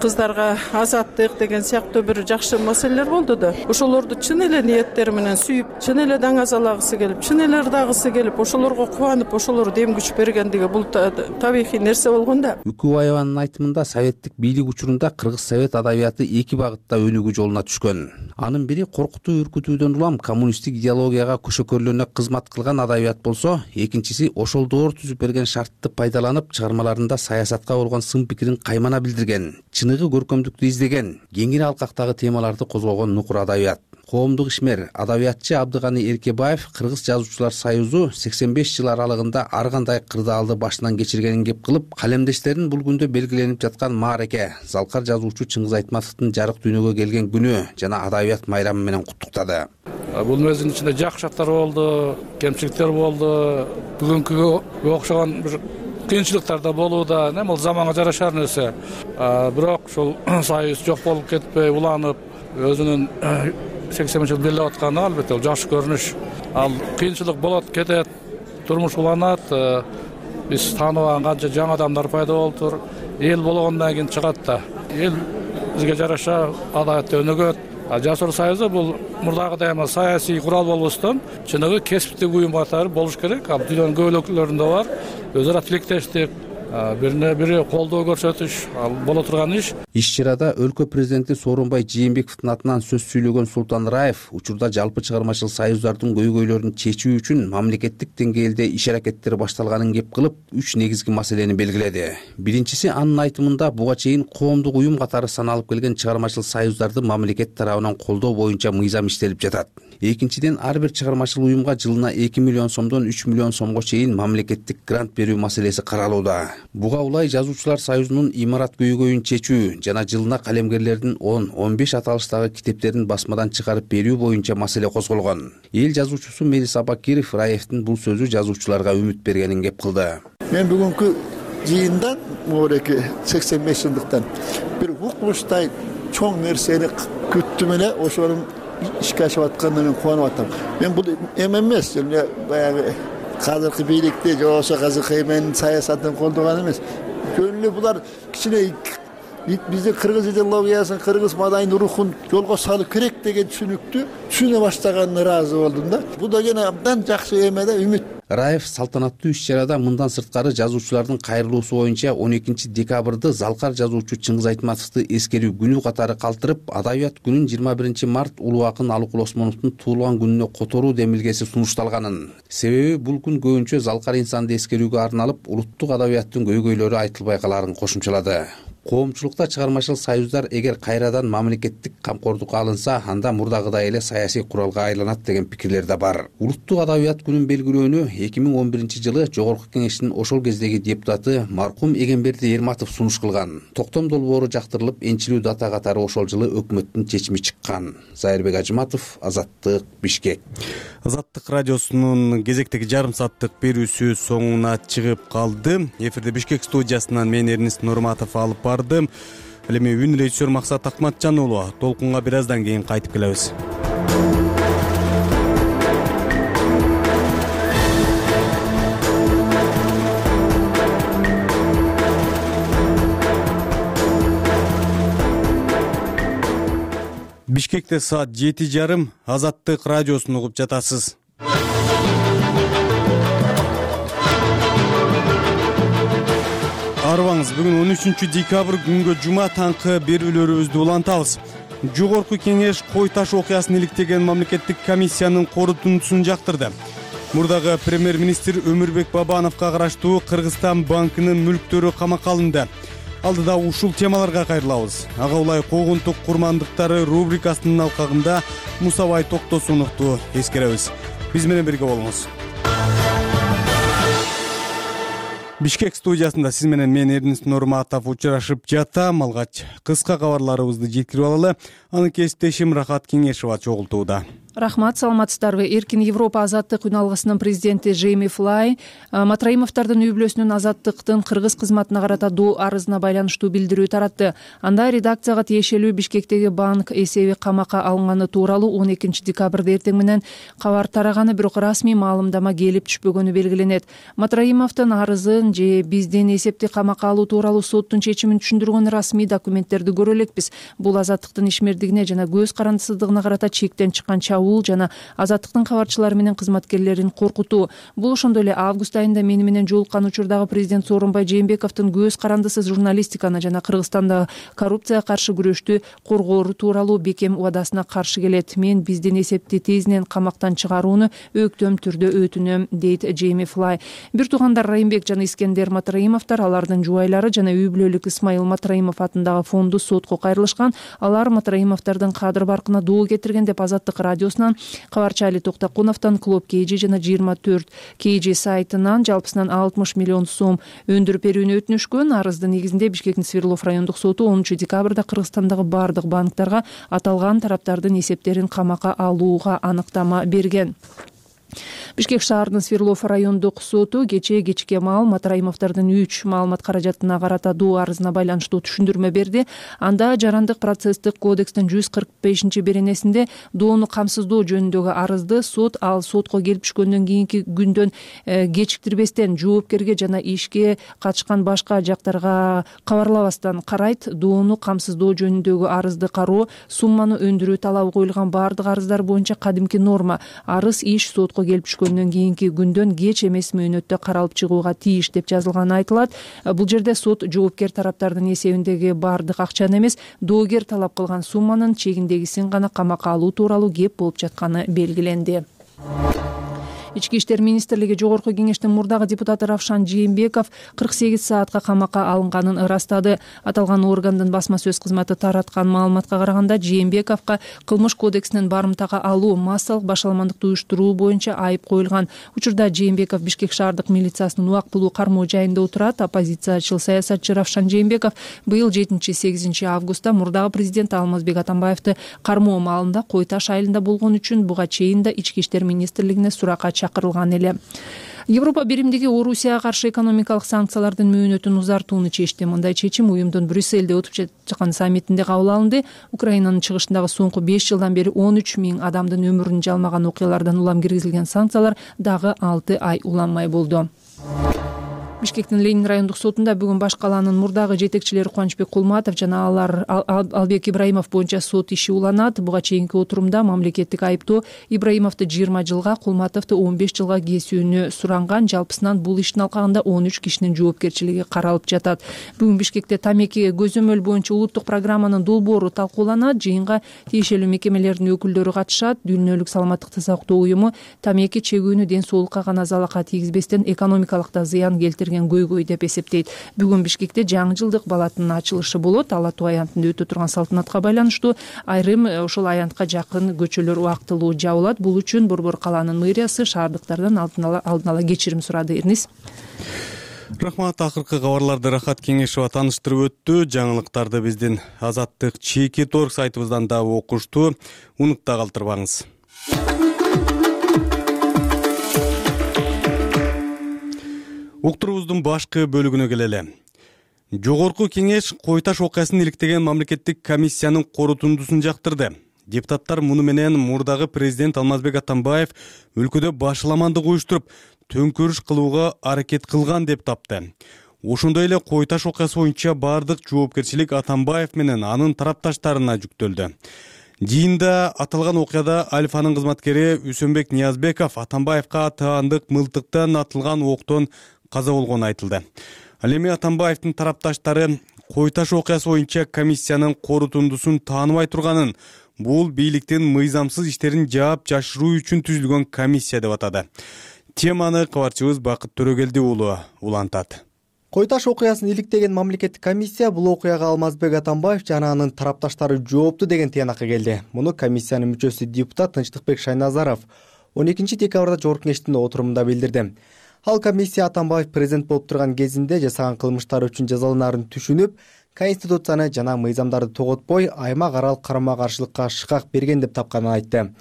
кыздарга азаттык деген сыяктуу бир жакшы маселелер болду да. Ошолорду чын эле ниеттери менен сүйүп, чын эле даңазалагысы келип, чын эле ырдагысы келип, ошолорго кубанып, ошолор дем күч бергендиги бул табигый нерсе болгон да. Үкүбаеванын айтымында советтик бийлик учурунда Кыргыз совет адабияты эки багытта өнүгүү жолуна түшкөн. Анын бири коркутуу, үркүтүүдөн улам коммунисттик идеологияга көшөкөрлөнө кызмат кылган адабият болсо, экинчиси ошол доор түзүп берген шартты пайдаланып чыгармаларында саясатка болгон сын пикирин каймана билдирген, чыныгы көркөмдүктү издеген, кеңири алкактагы темаларды козгогон нукур адабият. Коомдук ишмер, адабиятчы Абдыганы Эркебаев Кыргыз жазуучулар союзу сексен беш жыл аралыгында ар кандай кырдаалды башынан кечиргенин кеп кылып, калемдештерин бул күндө белгиленип жаткан маареке, Залкар жазуучу Чыңгыз Айтматовдун жарык дүйнөгө келген күнү жана адабият майрамы менен куттуктады. Бул мезгилдин ичинде жакшы жактар болду, кемчиликтер болду, бүгүнкүгө окшогон бир кыйынчылыктар да болууда. Эми бул заманга жарашар нерсе. Бирок ушул союз жок болуп кетпей, уланып, өзүнүн сексен жыл беле атканы албетте ол жакшы көрүнүш. Ал кыйынчылык болот, кетет, турмуш уланат. Биз тааныбаган канча жаңы адамдар пайда болуптур. Эл болгондон кийин чыгат да. Эл бизге жараша адабиятта өнүгөт. Жазуучулар союзу бул мурдагыдай эме саясий курал болбостон, чыныгы кесиптик уюм катары болуш керек. Ал дүйнөнүн көп өлкөлөрүндө бар. Өз ара тилектештик, бирине бири колдоо көрсөтүш боло турган иш. Иш-чарада өлкө президенти Сооронбай Жээнбековдун атынан сөз сүйлөгөн Султан Раев учурда жалпы чыгармачыл союздардын көйгөйлөрүн чечүү үчүн мамлекеттик деңгээлде иш аракеттер башталганын кеп кылып, үч негизги маселени белгиледи. Биринчиси, анын айтымында буга чейин коомдук уюм катары саналып келген чыгармачыл союздарды мамлекет тарабынан колдоо боюнча мыйзам иштелип жатат. Экинчиден, ар бир чыгармачыл уюмга жылына эки миллион сомдон үч миллион сомго чейин мамлекеттик грант берүү маселеси каралууда. Буга улай жазуучулар союзунун имарат көйгөйүн чечүү жана жылына калемгерлердин он он беш аталыштагы китептерин басмадан чыгарып берүү боюнча маселе козголгон. Эл жазуучусу Мелис Абакиров Раевдин бул сөзү жазуучуларга үмүт бергенин кеп кылды. Мен бүгүнкү жыйындан мореки сексен беш жылдыктан бир укмуштай чоң нерсени күттүм эле, ошонун ишке ашып атканына мен кубанып атам. Мен бул эме эмес, эле баягы азыркы бийликти же болбосо Казыкмнин саясатын колдогон эмес. Жөн эле булар кичине биздин кыргыз идеологиясын, кыргыз маданийдин рухун жолго салуу керек деген түшүнүктү түшүнө баштаганына ыраазы болдум да. Бул деген абдан жакшы эме да, үмүт. Раев салтанаттуу иш-чарада мындан сырткары жазуучулардын кайрылуусу боюнча он экинчи декабрды залкар жазуучу Чыңгыз Айтматовду эскерүү күнү катары калтырып, Адабият күнүн жыйырма биринчи март улуу акын Алыкул Осмоновдун туулган күнүнө которуу демилгеси сунушталганын. Себеби бул күн көбүнчө залкар инсанды эскерүүгө арналып, улуттук адабияттын көйгөйлөрү айтылбай каларын кошумчалады. Коомчулукта чыгармачыл союздар эгер кайрадан мамлекеттик камкордукка алынса, анда мурдагыдай эле саясий куралга айланат деген пикирлер да бар. Улуттук адабият күнүн белгилөөнү эки миң он биринчи жылы Жогорку Кеңештин ошол кездеги депутаты маркум Эгемберди Эрматов сунуш кылган. Токтом долбоору жактырылып, энчилүү дата катары ошол жылы өкмөттүн чечими чыккан. Зайырбек Ажыматов, Азаттык, Бишкек. Азаттык радиосунун кезектеги жарым сааттык берүүсү соңуна чыгып калды. Эфирде Бишкек студиясынан мен Эрнист Нурматов алып бардым. Ал эми үн режиссер Максат Акматжан уулу. Толкунга бир аздан кийин кайтып келебиз. Бишкекте саат жети жарым. Азаттык радиосун угуп жатасыз. Арыбаңыз, бүгүн он үчүнчү декабрь күнгө жума таңкы берүүлөрүбүздү улантабыз. Жогорку Кеңеш Кой таш окуясын иликтеген мамлекеттик комиссиянын корутундусун жактырды. Мурдагы премьер-министр Өмүрбек Бабановго караштуу Кыргызстан банкынын мүлктөрү камакка алынды. Алдыда ушул темаларга кайрылабыз. Ага улай когунтук курмандыктары рубрикасынын алкагында Мусабай Токтосуновду эскеребиз. Биз менен бирге болуңуз. Бишкек студиясында сиз менен мен Эрнист Нурматов учурашып жатам. Алгач кыска кабарларыбызды жеткирип алалы. Анын кесиптешим Рахат Кеңешова чогултууда. Рахмат, саламатсыздарбы. Эркин Европа азаттык үн алгысынын президенти Джейми Флай Матраимовдордун үй бүлөсүнүн азаттыктын кыргыз кызматына карата доо арызына байланыштуу билдирүү таратты. Анда редакцияга тиешелүү Бишкектеги банк эсеби камакка алынганы тууралуу он экинчи декабрда эртең менен кабар тараганы, бирок расмий маалымдама келип түшпөгөнү белгиленет. Матраимовдун арызын же биздин эсепти камакка алуу тууралуу соттун чечимин түшүндүргөн расмий документтерди көрө элекпиз. Бул азаттыктын ишмердигине жана көз карандысыздыгына карата чектен чыккан чабуул жана азаттыктын кабарчылары менен кызматкерлерин коркутуу. Бул ошондой эле август айында мени менен жолуккан учурдагы президент Сооронбай Жээнбековдун көз карандысыз журналистиканы жана Кыргызстандагы коррупцияга каршы күрөштү коргоору тууралуу бекем убадасына каршы келет. Мен биздин эсепти тезинен камактан чыгарууну өктөм түрдө өтүнөм, дейт Джейми Флай. Бир туугандар Райымбек жана Искендер Матраимовдор, алардын жубайлары жана үй бүлөлүк Исмайыл Матраимов атындагы фонду сотко кайрылышкан. Алар Матраимовдордун кадыр баркына доо кетирген деп Азаттык радиосунан, кабарчы Али Токтокуновдон, Клуб Кейжи жана жыйырма төрт Кейжи сайтынан жалпысынан алтымыш миллион сом өндүрүп берүүнү өтүнүшкөн. Арыздын негизинде Бишкектин Свердлов райондук соту онунчу декабрда Кыргызстандагы бардык банктарга аталган тараптардын эсептерин камакка алууга аныктама берген. Бишкек шаарынын Свердлов райондук соту кечээ кечке маал Матраимовдордун үч маалымат каражатына карата доо арызына байланыштуу түшүндүрмө берди. Анда жарандык процесстик кодекстин жүз кырк бешинчи беренесинде доону камсыздоо жөнүндөгү арызды сот ал сотко келип түшкөндөн кийинки күндөн кечиктирбестен жоопкерге жана ишке катышкан башка жактарга кабарлабастан карайт. Доону камсыздоо жөнүндөгү арызды кароо, сумманы өндүрүү талабы коюлган бардык арыздар боюнча кадимки норма. Арыз иш сотко келип түшкөндөн кийинки күндөн кеч эмес мөөнөттө каралып чыгууга тийиш деп жазылганы айтылат. Бул жерде сот жоопкер тараптардын эсебиндеги бардык акчаны эмес, доогер талап кылган сумманын чегиндегисин гана камакка алуу тууралуу кеп болуп жатканы белгиленди. Ички иштер министрлиги Жогорку Кеңештин мурдагы депутаты Равшан Жээнбеков кырк сегиз саатка камакка алынганын ырастады. Аталган органдын басма сөз кызматы тараткан маалыматка караганда, Жээнбековго кылмыш кодексинен барымтага алуу, массалык башаламандыкты уюштуруу боюнча айып коюлган. Учурда Жээнбеков Бишкек шаардык милициясынын убактылуу кармоо жайында отурат. Оппозициячыл саясатчы Равшан Жээнбеков быйыл жетинчи сегизинчи августта мурдагы президент Алмазбек Атамбаевди кармоо маалында Кой таш айылында болгон үчүн буга чейин да ички иштер министрлигине суракка чакырылган эле. Европа биримдиги Орусияга каршы экономикалык санкциялардын мөөнөтүн узартууну чечти. Мындай чечим уюмдун Брюссельде өтүп жаткан саммитинде кабыл алынды. Украинанын чыгышындагы соңку беш жылдан бери он үч миң адамдын өмүрүн жалмаган окуялардан улам киргизилген санкциялар дагы алты ай уланмай болду. Бишкектин Ленин райондук сотунда бүгүн баш калаанын мурдагы жетекчилери Кубанычбек Кулматов жана алар Албек Ибраимов боюнча сот иши уланат. Буга чейинки отурумда мамлекеттик айыптоо Ибраимовду жыйырма жылга, Кулматовду он беш жылга кесүүнү суранган. Жалпысынан бул иштин алкагында он үч кишинин жоопкерчилиги каралып жатат. Бүгүн Бишкекте тамеки көзөмөл боюнча улуттук программанын долбоору талкууланат. Жыйынга тиешелүү мекемелердин өкүлдөрү катышат. Дүйнөлүк саламаттыкты сактоо уюму тамеки чегүүнү ден соолукка гана залалка тийгизбестен экономикалык да зыян келтирген көйгөй деп эсептейт. Бүгүн Бишкекте жаңы жылдык балаттын ачылышы болот. Ала Тоо аянтында өтө турган салтанатка байланыштуу айрым ошол аянтка жакын көчөлөр убактылуу жабылат. Бул үчүн Борбор калаанын мэриясы шаардыктардан алдын ала алдын ала кечирим сурады. Эрнис. Рахмат. Акыркы кабарларды Рахат Кеңешова тааныштырып өттү. Жаңылыктарды биздин Азаттык чеки торг сайтыбыздан да окушту. Унутта калтырбаңыз. Уктурубуздун башкы бөлүгүнө келели. Жогорку кеңеш Кой Таш окуясын иликтеген мамлекеттик комиссиянын корутундусун жактырды. Депутаттар муну менен мурдагы президент Алмазбек Атамбаев өлкөдө башаламандык уюштуруп, төңкөрүш кылууга аракет кылган деп тапты. Ошондой эле Кой Таш окуясы боюнча бардык жоопкерчилик Атамбаев менен анын тарапташтарына жүктөлдү. Жыйында аталган окуяда Альфанын кызматкери Үсөнбек Ниязбеков Атамбаевка таандык мылтыктан атылган октон каза болгону айтылды. Ал эми Атамбаевдин тарапташтары Кой Таш окуясы боюнча комиссиянын корутундусун тааныбай турганын, бул бийликтин мыйзамсыз иштерин жаап жашыруу үчүн түзүлгөн комиссия деп атады. Теманы кабарчыбыз Бакыт Төрөгелди уулу улантат. Кой Таш окуясын иликтеген мамлекеттик комиссия бул окуяга Алмазбек Атамбаев жана анын тарапташтары жоопту деген тыянакка келди. Муну комиссиянын мүчөсү депутат Тынчтыкбек Шайназаров он экинчи декабрда жогорку кеңештин отурумунда билдирди. Ал комиссия Атамбаев президент болуп турган кезинде жасаган кылмыштары үчүн жазаланаарын түшүнүп, конституцияны жана мыйзамдарды тоготпой, аймак аралык карама-каршылыкка шыкак берген деп тапканын айтты.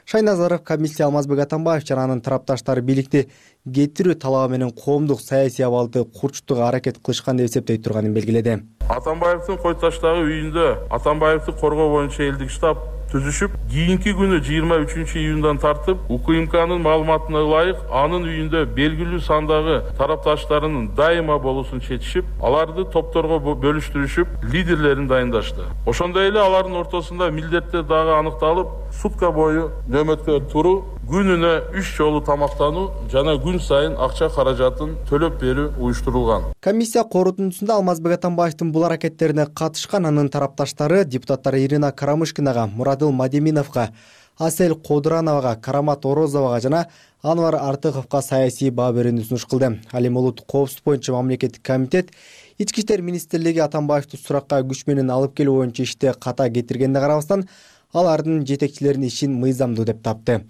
Шайназаров комиссия Алмазбек Атамбаев жана анын тарапташтары бийликти кетирүү талабы менен коомдук саясий абалды курчутууга аракет кылышкан деп эсептей турганын белгиледи. Атамбаевдин Кой Таштагы үйүндө Атамбаевди коргоо боюнча элдик штаб түзүшүп, кийинки күнү жыйырма үчүнчү июндан тартып, УКМКнын маалыматына ылайык анын үйүндө белгилүү сандагы тарапташтарынын дайыма болуусун чечишип, аларды топторго бөлүштүрүшүп, лидерлерин дайындашты. Ошондой эле алардын ортосунда милдеттер дагы аныкталып, сутка бою нөөмөткө туруу, күнүнө үч жолу тамактануу жана күн сайын акча каражатын төлөп берүү уюштурулган. Комиссия корутундусунда Алмазбек Атамбаевдин бул аракеттерине катышкан анын тарапташтары депутаттар Ирина Карамышкинага, Мурадыл Мадеминовго, Асель Кодурановага, Карамат Орозовага жана Анвар Артыковго саясий баа берүүнү сунуш кылды. Ал эми улуттук коопсуздук боюнча мамлекеттик комитет Ички иштер министрлиги Атамбаевди суракка күч менен алып келүү боюнча иште ката кетиргенине карабастан, алардын жетекчилеринин ишин мыйзамдуу деп тапты.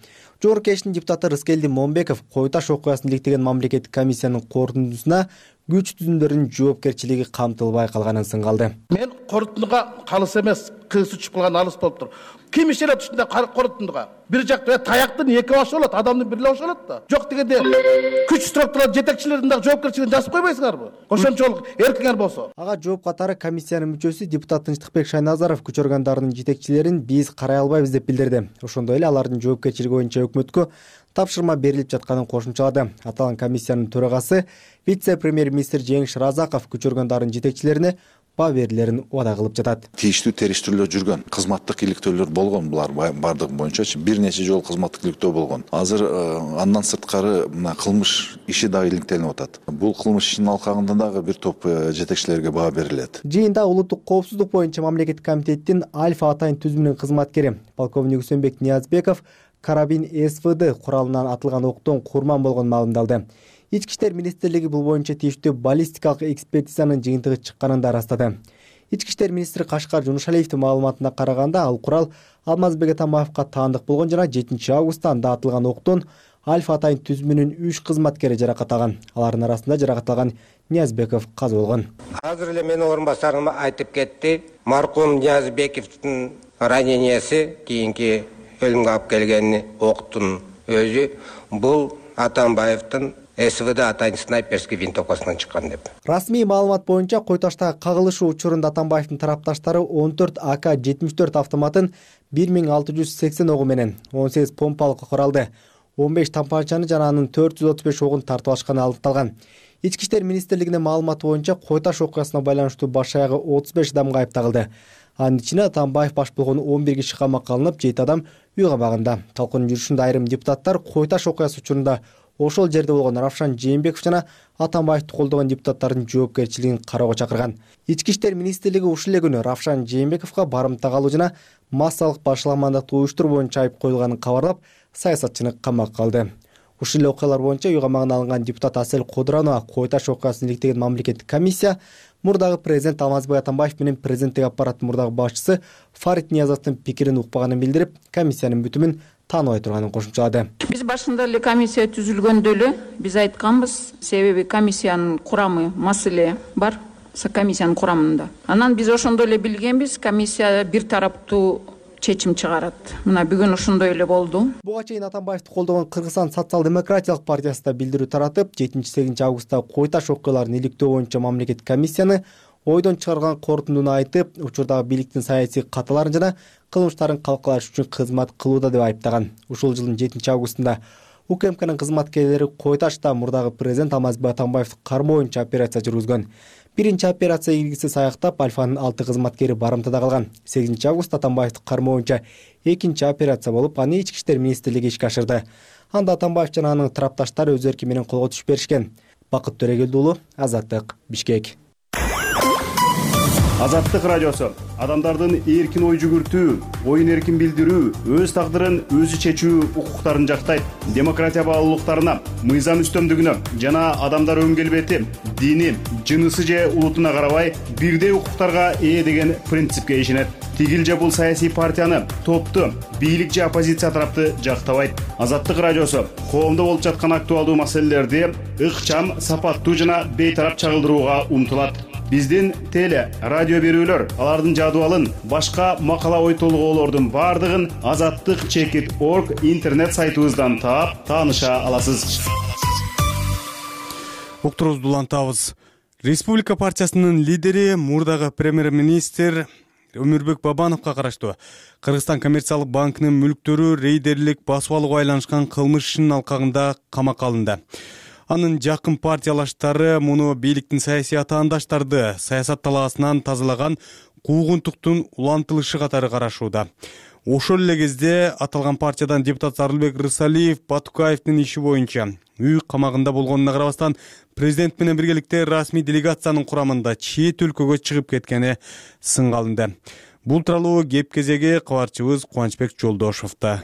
Жогорку кеңештин депутаты Рыскелди Момбеков Кой Таш окуясын иликтеген мамлекеттик комиссиянын корутундусуна күч түзүмдөрүнүн жоопкерчилиги камтылбай калганын сынгалды. Мен корутундуга калыс эмес, кыйсы чыгып калган алыс болуптур. Ким ишенет ушундай корутундуга? Бир жакта таяктын эки башы болот, адамдын бир эле башы болот да. Жок дегенде күч сурап турган жетекчилердин дагы жоопкерчилигин жазып койбойсуңарбы? Ошончолук эркиңер болсо. Ага жооп катары комиссиянын мүчөсү депутат Тынчтыкбек Шайназаров күч органдарынын жетекчилерин биз карай албайбыз деп билдирди. Ошондой эле алардын жоопкерчилиги боюнча өкмөткө тапшырма берилип жатканын кошумчалады. Аталган комиссиянын төрагасы вице-премьер-министр Жеңиш Разаков күч органдарынын жетекчилерине баа берилерин убада кылып жатат. Тийиштүү териштирүүлөр жүргөн, кызматтык иликтөөлөр болгон, булар бардыгы боюнча бир нече жолу кызматтык иликтөө болгон. Азыр андан сырткары мына кылмыш иши дагы иликтелип атат. Бул кылмыш ишинин алкагында дагы бир топ жетекчилерге баа берилет. Жыйында улуттук коопсуздук боюнча мамлекеттик комитеттин Альфа атайын түзүмүнүн кызматкери полковник Үсөнбек Ниязбеков карабин СВД куралынан атылган октон курман болгон маалымдалды. Ички иштер министрлиги бул боюнча тийиштүү баллистикалык экспертизанын жыйынтыгы чыкканын да ырастады. Ички иштер министри Кашкар Жунушалиевдин маалыматына караганда, ал курал Алмазбек Атамбаевга таандык болгон жана жетинчи августта анда атылган октон Альфа атайын түзүмүнүн үч кызматкери жаракат алган. Алардын арасында жаракат алган Ниязбеков каза болгон. Азыр эле менин орун басарым айтып кетти. Маркум Ниязбековдун ранениясы кийинки өлүмгө алып келген октун өзү бул Атамбаевдин СВД атайын снайперский винтовкасынан чыккан деп. Расмий маалымат боюнча кой таштагы кагылышуу учурунда Атамбаевдин тарапташтары он төрт А К жетимиш төрт автоматын, бир миң алты жүз сексен огу менен он сегиз помпалык куралды, он беш тампанчаны жана анын төрт жүз отуз беш огун тартып алышканы аныкталган. Ички иштер министрлигинин маалыматы боюнча кой таш окуясына байланыштуу баш аягы отуз беш адам кайып тагылды. Анын ичинде Атамбаев баш болгон он бир киши камакка алынып, жети адам үй камагында. Талкуунун жүрүшүндө айрым депутаттар кой таш окуясы учурунда ошол жерде болгон Равшан Жээнбеков жана Атамбаевди колдогон депутаттардын жоопкерчилигин кароого чакырган. Ички иштер министрлиги ушул эле күнү Равшан Жээнбековго барымта калуу жана массалык башаламандыкты уюштуруу боюнча айып коюлганын кабарлап, саясатчыны камакка алды. Ушул эле окуялар боюнча үй камагына алынган депутат Асель Кодуранова кой таш окуясын иликтеген мамлекеттик комиссия мурдагы президент Алмазбек Атамбаев менен президенттик аппараттын мурдагы башчысы Фарид Ниязовдун пикирин укпаганын билдирип, комиссиянын бүтүмүн тааныбай турганын кошумчалады. Биз башында эле комиссия түзүлгөндө эле биз айтканбыз, себеби комиссиянын курамы маселе бар, комиссиянын курамында. Анан биз ошондо эле билгенбиз, комиссия бир тараптуу чечим чыгарат. Мына бүгүн ошондой эле болду. Буга чейин Атамбаевди колдогон Кыргызстан социал-демократиялык партиясы да билдирүү таратып, жетинчи сегизинчи августтагы кой таш окуяларын иликтөө боюнча мамлекеттик комиссияны ойдон чыгарган корутундуну айтып, учурдагы бийликтин саясий каталарын жана кылмыштарын калкалаш үчүн кызмат кылууда деп айыптаган. Ушул жылдын жетинчи августунда УКМКнын кызматкерлери кой ташта мурдагы президент Алмазбек Атамбаевди кармоо боюнча операция жүргүзгөн. Биринчи операция ийгисиз аяктап, Альфанын алты кызматкери барымтада калган. сегизинчи август Атамбаевди кармоо боюнча экинчи операция болуп, аны ички иштер министрлиги ишке ашырды. Анда Атамбаев жана анын тарапташтары өз эрки менен колго түшүп беришкен. Бакыт Төрөгелди уулу, Азаттык, Бишкек. Азаттык радиосу адамдардын эркин ой жүгүртүү, оюн эркин билдирүү, өз тагдырын өзү чечүү укуктарын жактайт. Демократия баалуулуктарына, мыйзам үстөмдүгүнө жана адамдар өн келбети, дини, жынысы же улутуна карабай бирдей укуктарга ээ деген принципке ишенет. Тигил же бул саясий партияны, топту, бийлик же оппозиция тарапты жактабайт. Азаттык радиосу коомдо болуп жаткан актуалдуу маселелерди ыкчам, сапаттуу жана бейтарап чагылдырууга умтулат. Биздин теле, радио берүүлөр, алардын жадыбалын, башка макала ой толгоолордун бардыгын азаттык чекит точка орг интернет сайтыбыздан таап, тааныша аласыз. Уктурубузду улантабыз. Республика партиясынын лидери, мурдагы премьер-министр Өмүрбек Бабановго караштуу Кыргызстан коммерциялык банкынын мүлктөрү рейдерлик басып алууга айланышкан кылмыш ишинин алкагында камакка алынды. Анын жакын партиялаштары муну бийликтин саясий атаандаштарды саясат талаасынан тазалаган куугунтуктун улантылышы катары карашууда. Ошол эле кезде аталган партиядан депутат Зарылбек Рысалиев Батукаевдин иши боюнча үй камагында болгонуна карабастан президент менен биргеликте расмий делегациянын курамында чет өлкөгө чыгып кеткени сынга алынды. Бул тууралуу кеп кезеги кабарчыбыз Кубанычбек Жолдошовдо.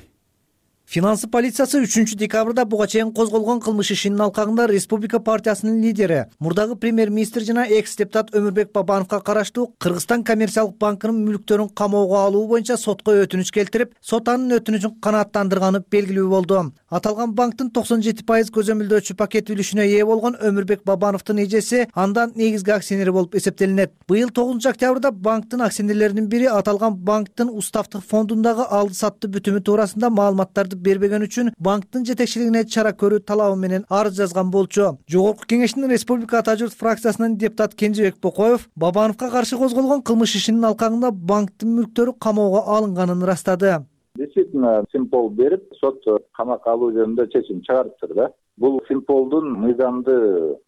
Финансы полициясы үчүнчү декабрда буга чейин козголгон кылмыш ишинин алкагында Республика партиясынын лидери, мурдагы премьер-министр жана экс-депутат Өмүрбек Бабановго караштуу Кыргызстан коммерциялык банкынын мүлктөрүн камоого алуу боюнча сотко өтүнүч келтирип, сот анын өтүнүчүн канааттандырганы белгилүү болду. Аталган банктын токсон жети пайыз көзөмөлдөөчү пакет үлүшүнө ээ болгон Өмүрбек Бабановдун эжеси андан негизги акционери болуп эсептелинет. Быйыл тогузунчу октябрда банктын акционерлеринин бири аталган банктын уставдык фондундагы алды сатты бүтүмү туурасында маалыматтарды бербеген үчүн банктын жетекчилигине чара көрүү талабы менен арыз жазган болчу. Жогорку кеңештин Республика Ата журт фракциясынын депутат Кенжебек Бокоев Бабановго каршы козголгон кылмыш ишинин алкагында банктын мүлктөрү камоого алынганын ырастады. Действительно, Симпол берип, сот камакка алуу жөнүндө чечим чыгарыптыр да. Бул Симполдун мыйзамды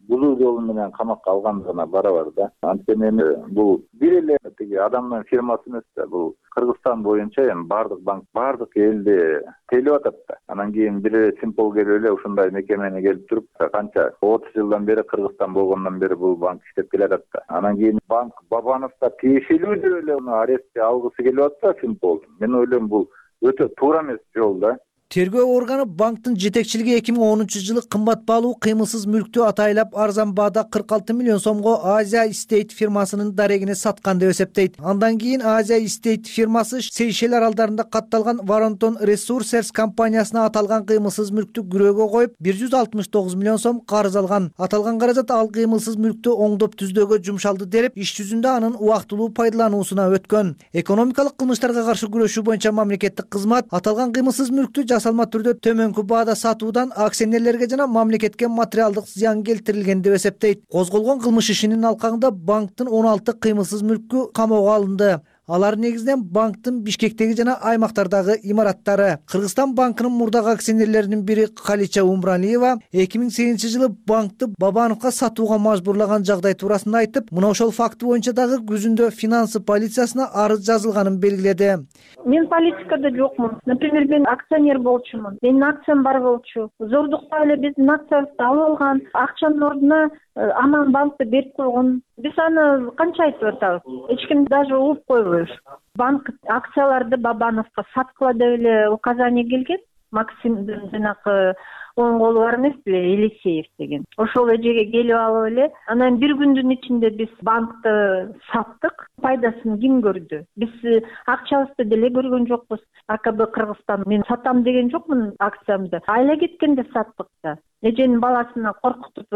бузуу жолу менен камакка алгандыгына барабар да. Анткени эми бул бир эле тиги адамдын фирмасы эмес да. Бул Кыргызстан боюнча эми бардык банк, бардык элде тейлеп атат да. Анан кийин бир эле Симпол келип эле ушундай мекемени келип туруп, канча отуз жылдан бери Кыргызстан болгондон бери бул банк иштеп келатат да. Анан кийин банк Бабановго тиешелүү деп эле уну арестке алгысы келип атат Симпол. Мен ойлойм бул өтө туура эмес жол да. Тергөө органы банктын жетекчилиги эки миң онунчу жылы кымбат баалуу кыймылсыз мүлктү атайлап арзан баада кырк алты миллион сомго Азия Estate фирмасынын дарегине саткан деп эсептейт. Андан кийин Азия Estate фирмасы Сейшел аралдарында катталган Warrington Resources компаниясына аталган кыймылсыз мүлктү күрөөгө коюп бир жүз алтымыш тогуз миллион сом карыз алган. Аталган каражат ал кыймылсыз мүлктү оңдоп түздөөгө жумшалды деп, иш жүзүндө анын убактылуу пайдалануусуна өткөн. Экономикалык кылмыштарга каршы күрөшүү боюнча мамлекеттик кызмат аталган кыймылсыз мүлктү жасалма түрдө төмөнкү баада сатуудан акционерлерге жана мамлекетке материалдык зыян келтирилген деп эсептейт. Козголгон кылмыш ишинин алкагында банктын он алты кыймылсыз мүлкү камоого алынды. Алар негизинен банктын Бишкектеги жана аймактардагы имараттары. Кыргызстан банкынын мурдагы акционерлеринин бири Калича Умралиева эки миң сегизинчи жылы банкты Бабановго сатууга мажбурлаган жагдай туурасында айтып, мына ошол факты боюнча дагы күзүндө финансы полициясына арыз жазылганын белгиледи. Мен политикада жокмун. Например, мен акционер болчумун. Менин акциям бар болчу. Зордуктап эле биздин акциябызды алып алган, акчанын ордуна Аман банкты берип койгон. Биз аны канча айтып атабыз? Эч ким даже угуп койбойбуз. Банк акцияларды Бабановго саткыла деп эле указание келген. Максимдин жанагы оң колу бар эмес беле, Елисеев деген. Ошол эжеге келип алып эле, анан бир күндүн ичинде биз банкты саттык. Пайдасын ким көрдү? Биз акчабызды деле көргөн жокпуз. А К Б Кыргызстан мен сатам деген жокмун акциямды. Айла кеткенде саттык да. Эженин баласына коркутуп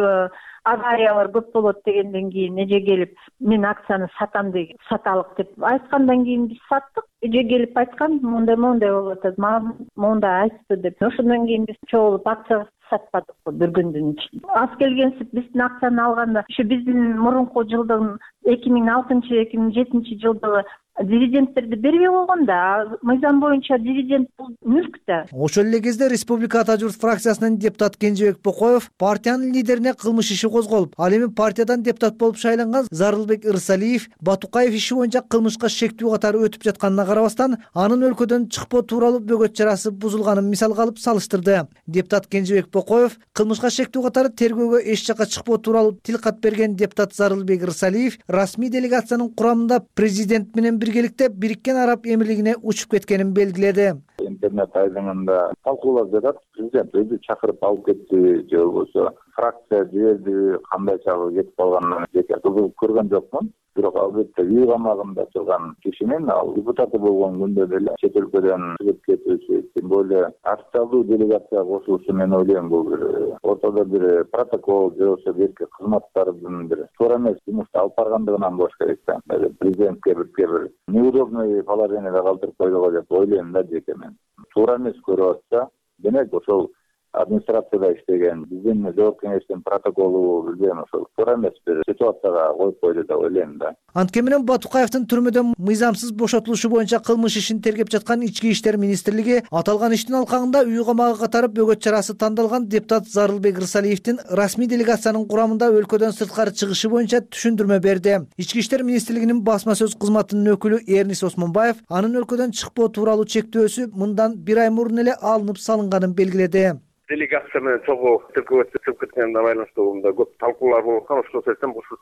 авариялар көп болот дегенден кийин эже келип мен акцияны сатам деген саталык деп айткандан кийин биз саттык. Эже келип айткан мондай мондай болуп атат, мага мондай айтты деп. Ошондон кийин биз чогулуп акциябызды сатпадык бир күндүн ичинде. Аз келгенсип биздин акцияны алганда ушу биздин мурунку жылдын эки миң алтынчы эки миң жетинчи жылдагы дивидендтерди бербей койгон да. Мыйзам боюнча дивиденд бул мүлк да. Ошол эле кезде Республика Ата журт фракциясынын депутат Кенжебек Бокоев партиянын лидерине кылмыш иши козголуп, ал эми партиядан депутат болуп шайланган Зарылбек Ырсалиев Батукаев иши боюнча кылмышка шектүү катары өтүп жатканына карабастан, анын өлкөдөн чыкпоо тууралуу бөгөт чарасы бузулганын мисалга алып салыштырды. Депутат Кенжебек Бокоев кылмышка шектүү катары тергөөгө эч жакка чыкпоо тууралуу тил кат берген депутат Зарылбек Ырсалиев расмий делегациянын курамында президент менен биргеликте Бириккен Араб Эмирлигине учуп кеткенин белгиледи. Интернет айдыңында талкуулап жатат. Президент өзү чакырып алып кетти же болбосо фракция жиберди, кандай чагы кетип калганын жеке кызыгып көргөн жокмун. Бирок албетте үй камагында турган кишинин ал депутаты болгон күндө деле чет өлкөдөн чыгып кетүүсү, тем более официалдуу делегацияга кошулушу мен ойлойм бул бир ортодо бир протокол же болбосо бирки кызматтардын бир туура эмес жумушту алып баргандыгынан болуш керек да. Президентке бирке бир неудобный положенияда калтырып койдуго деп ойлойм да жеке мен. Туура эмес көрүп атса, демек ошол администрацияда иштеген биздин жооп кеңештин протоколу билген ошол туура эмес бир ситуацияга коюп койду деп ойлойм да. Анткени менен Батукаевдин түрмөдөн мыйзамсыз бошотулушу боюнча кылмыш ишин тергеп жаткан Ички иштер министрлиги аталган иштин алкагында үй камагы катары бөгөт чарасы тандалган депутат Зарылбек Ырсалиевдин расмий делегациянын курамында өлкөдөн сырткары чыгышы боюнча түшүндүрмө берди. Ички иштер министрлигинин басма сөз кызматынын өкүлү Эрнис Осмонбаев анын өлкөдөн чыкпоо тууралуу чектөөсү мындан бир ай мурун эле алынып салынганын белгиледи. Делегация менен чогуу тиркөөбө чыгып кеткенине байланыштуу мында көп талкуулар болуп аткан. Ошол себептен ушул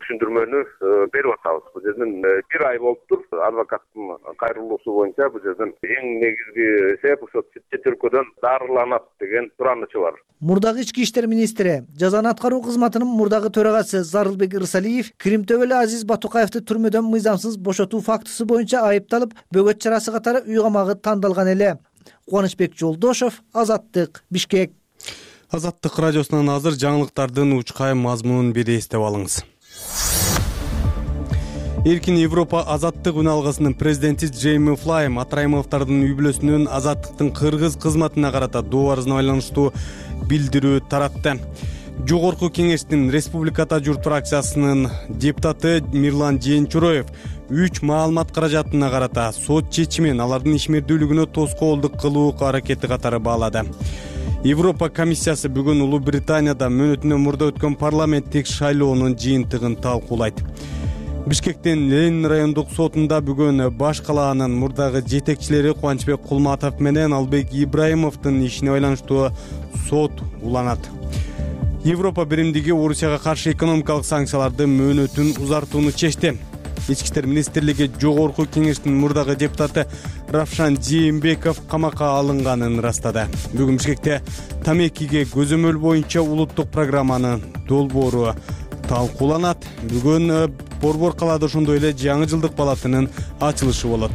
түшүндүрмөнү берип атабыз. Бул жерден бир ай болуптур. Адвокаттын кайрылуусу боюнча бул жерден эң негизги себеп ошо чет өлкөдөн дарыланат деген суранычы бар. Мурдагы ички иштер министри, жазаны аткаруу кызматынын мурдагы төрагасы Зарылбек Ырсалиев Крим төбөлү Азиз Батукаевди түрмөдөн мыйзамсыз бошотуу фактысы боюнча айыпталып, бөгөт чарасы катары үй камагы тандалган эле. Кубанычбек Жолдошов, Азаттык, Бишкек. Азаттык радиосунан азыр жаңылыктардын учкай мазмунун бир эстеп алыңыз. Эркин Европа Азаттык үн алгысынын президенти Джейми Флай Матраимовдордун үй бүлөсүнүн Азаттыктын кыргыз кызматына карата доо арызына байланыштуу билдирүү таратты. Жогорку кеңештин Республика Ата журт фракциясынын депутаты Мирлан Жээнчуроев үч маалымат каражатына карата сот чечимин алардын ишмердүүлүгүнө тоскоолдук кылуу аракети катары баалады. Европа комиссиясы бүгүн Улуу Британияда мөөнөтүнөн мурда өткөн парламенттик шайлоонун жыйынтыгын талкуулайт. Бишкектин Ленин райондук сотунда бүгүн баш калаанын мурдагы жетекчилери Кубанычбек Кулматов менен Албек Ибраимовдун ишине байланыштуу сот уланат. Европа биримдиги Орусияга каршы экономикалык санкцияларды мөөнөтүн узартууну чечти. Ички иштер министрлиги жогорку кеңештин мурдагы депутаты Равшан Жээнбеков камакка алынганын ырастады. Бүгүн Бишкекте тамекиге көзөмөл боюнча улуттук программанын долбоору талкууланат. Бүгүн Борбор калаада ошондой эле жаңы жылдык палатынын ачылышы болот.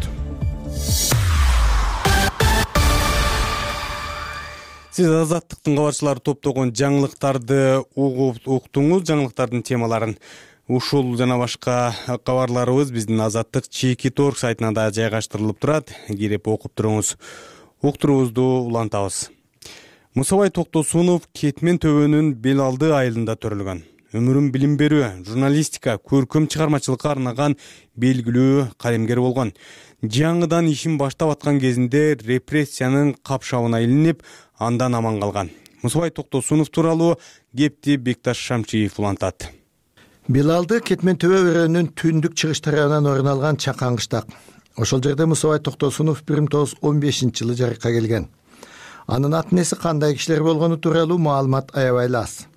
Сиз Азаттыктын кабарчылары топтогон жаңылыктарды угуп уктуңуз. Жаңылыктардын темаларын ушул жана башка кабарларыбыз биздин Азаттык чеки торг сайтына да жайгаштырылып турат. Кирип окуп туруңуз. уктуруубузду улантабыз. Мусабай Токтосунов Кетмен төбөнүн бел алды айылында төрөлгөн. Өмүрүн билим берүү, журналистика, көркөм чыгармачылыкка арнаган белгилүү калемгер болгон. Жаңыдан ишин баштап аткан кезинде репрессиянын капшабына илинип, андан аман калган. Мусабай Токтосунов тууралуу кепти Бекташ Шамчиев улантат. Бел алды Кетмен төбө өрөөнүнүн түндүк чыгыш тарабынан орун алган чакан кыштак. Ошол жерде Мусабай Токтосунов бир миң тогуз жүз он бешинчи жылы жарыкка келген. Анын ата энеси кандай кишилер болгону тууралуу маалымат аябай аз.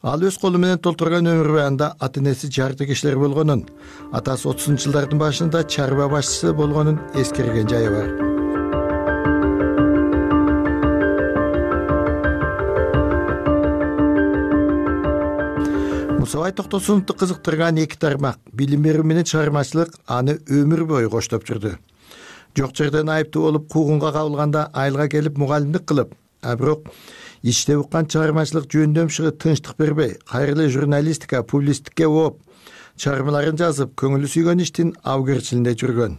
Ал өз колу менен толтурган өмүр баянында ата энеси жарты кишилер болгонун, атасы отузунчу жылдардын башында чарба башчысы болгонун эскерген жайы бар. Мусабай Токтосуновду кызыктырган эки тармак билим берүү менен чыгармачылык аны өмүр бою коштоп жүрдү. Жок жерден айыптуу болуп куугунга кабылганда айылга келип мугалимдик кылып, а бирок ичте уккан чыгармачылык жөндөмшүгү тынчтык бербей, кайрылы журналистика, публистикке ооп, чыгармаларын жазып, көңүлү сүйгөн иштин абгерчилинде жүргөн.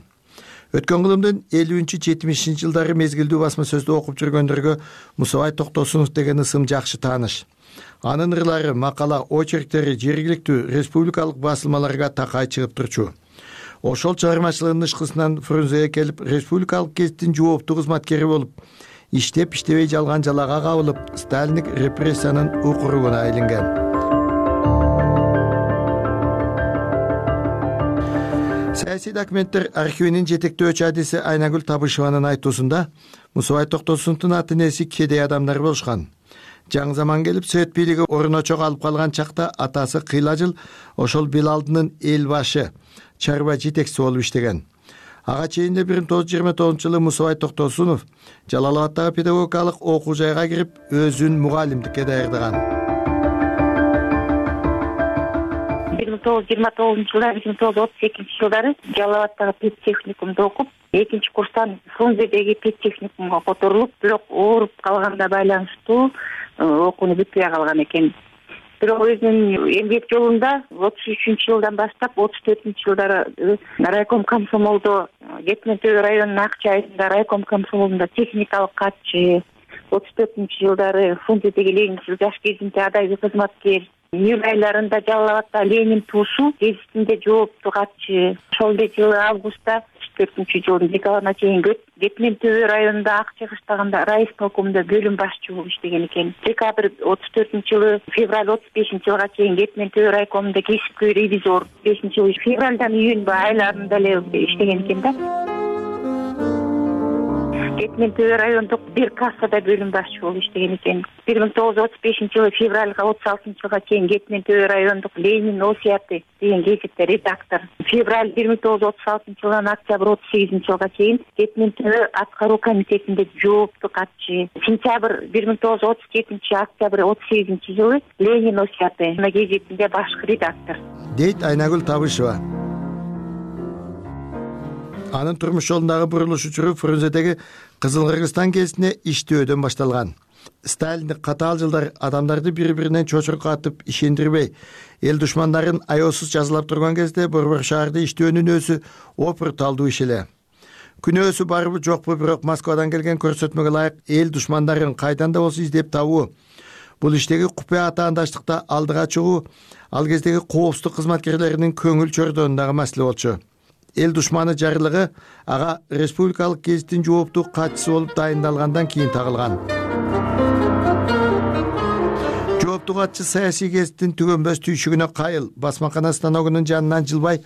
Өткөн кылымдын элүүнчү жетимишинчи жылдары мезгилдүү басма сөздү окуп жүргөндөргө Мусабай Токтосунов деген ысым жакшы тааныш. Анын ырлары, макала, очерктери жергиликтүү республикалык басылмаларга такай чыгып турчу. Ошол чыгармачылыгынын ышкысынан Фрунзеге келип, республикалык гезиттин жооптуу кызматкери болуп, иштеп иштебей жалган жалага кабылып, сталиндик репрессиянын укуругуна айланган. Саясий документтер архивинин жетектөөчү адиси Айнагүл Табышеванын айтуусунда Мусабай Токтосуновдун ата энеси кедей адамдар болушкан. Жаңы заман келип, Совет бийлиги орночок алып калган чакта атасы кыйла жыл ошол бел алдынын эл башы, чарба жетекчиси болуп иштеген. Ага чейин бир миң тогуз жүз жыйырма тогузунчу жылы Мусабай Токтосунов Жалал Абадтагы педагогикалык окуу жайга кирип, өзүн мугалимдикке даярдаган. бир миң тогуз жүз жыйырма тогузунчу жылы, бир миң тогуз жүз отуз экинчи жылдары Жалал Абадтагы педтехникумда окуп, экинчи курстан Фрунзедеги педтехникумга которулуп, бирок ооруп калганда байланыштуу окууну бүтпөй калган экен. Бирок өзүнүн эмгек жолунда отуз үчүнчү жылдан баштап отуз төртүнчү жылдары райком комсомолдо, Кетмен төбө районунун Акчы айылында райком комсомолунда техникалык катчы, отуз төртүнчү жылдары Фрунзедеги Ленинчил жаш гезитинде адайбый кызматкер, июль айларында Жалал Абадта Ленин туусу гезитинде жооптуу катчы. Ошол эле жылы августта төртүнчү жылдын декабрына чейин Кетмен төбө районунда Акчы кыштагында райисполкомдо бөлүм башчы болуп иштеген экен. Декабрь отуз төртүнчү жылы, февраль отуз бешинчи жылга чейин Кетмен төбө райкомунда кесипкөй ревизор, бешинчи жылы февралдан июнь айларында эле иштеген экен да. Кетмен төбө райондук бир кассада бөлүм башчы болуп иштеген экен. бир миң тогуз жүз отуз бешинчи жылы февралга отуз алтынчы жылга чейин Кетмен төбө райондук Ленин осуяты деген гезитте редактор. Февраль бир миң тогуз жүз отуз алтынчы жылдан октябрь отуз сегизинчи жылга чейин Кетмен төбө аткаруу комитетинде жооптуу катчы. Сентябрь бир миң тогуз жүз отуз жетинчи, октябрь отуз сегизинчи жылы Ленин осуяты гезитинде башкы редактор. Дейт Айнагүл Табышева. Анын турмуш жолундагы бурулуш учуру Фрунзедеги Кызыл Кыргызстан гезитине иштөөдөн башталган. Сталиндик катаал жылдар адамдарды бири-биринен чочуркатып, ишендирбей, эл душмандарын аеосуз жазалап турган кезде Борбор шаарда иштөөнүн өзү опурталдуу иш эле. Күнөөсү барбы жокпу, бирок Москвадан келген көрсөтмөгө ылайык эл душмандарын кайдан да болсо издеп табуу, бул иштеги купуя атаандаштыкта алдыга чыгуу ал кездеги коопсуздук кызматкерлеринин көңүл чордонундагы маселе болчу. Эл душманы жарлыгы ага республикалык гезиттин жооптуу катчысы болуп дайындалгандан кийин тагылган. Жооптуу катчы саясий гезиттин түгөнбөс түйшүгүнө кайыл, басмакана станогунун жанынан жылбай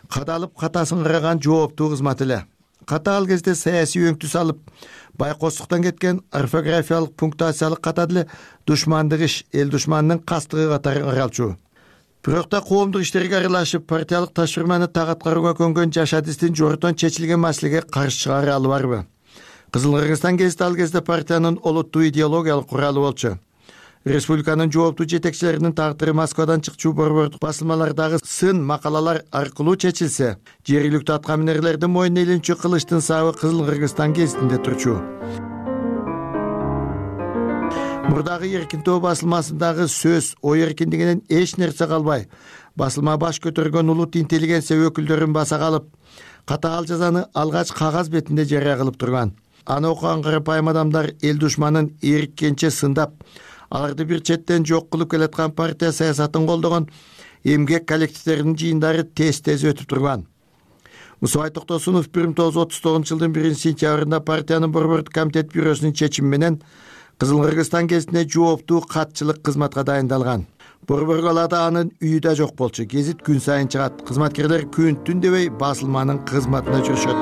кадалып катасын караган жооптуу кызмат эле. Ката ал кезде саясий өңтү салып, байкоостуктан кеткен орфографиялык, пунктуациялык ката деле душмандык иш, эл душманынын кастыгы катары каралчу. Бирок да коомдук иштерге аралашып, партиялык ташырманы так аткарууга көнгөн жаш адистин жорутон чечилген маселеге каршы чыгара албарбы? Кызыл Кыргызстан гезити ал кезде партиянын олуттуу идеологиялык куралы болчу. Республиканын жооптуу жетекчилеринин тагдыры Москвадан чыкчу борбордук басылмалардагы сын макалалар аркылуу чечилсе, жергиликтүү аткаминерлердин мойнуна илинчү кылычтын сабы Кызыл Кыргызстан гезитинде турчу. Мурдагы Эркин Тоо басылмасындагы сөз, ой эркиндигинен эч нерсе калбай, басылма баш көтөргөн улут интеллигенция өкүлдөрүн баса калып, катаал жазаны алгач кагаз бетинде жарыя кылып турган. аны окуган карапайым адамдар эл душманын эриккенче сындап, аларды бир четтен жок кылып келаткан партия саясатын колдогон эмгек коллективдеринин жыйындары тез-тез өтүп турган. Мусабай Токтосунов бир миң тогуз жүз отуз тогузунчу жылдын биринчи сентябрында партиянын борбордук комитет бюросунун чечими менен Кызыл Кыргызстан гезитине жооптуу катчылык кызматка дайындалган. Борбор калаада анын үйү да жок болчу. Гезит күн сайын чыгат. Кызматкерлер күн түн дебей басылманын кызматына жүрүшөт.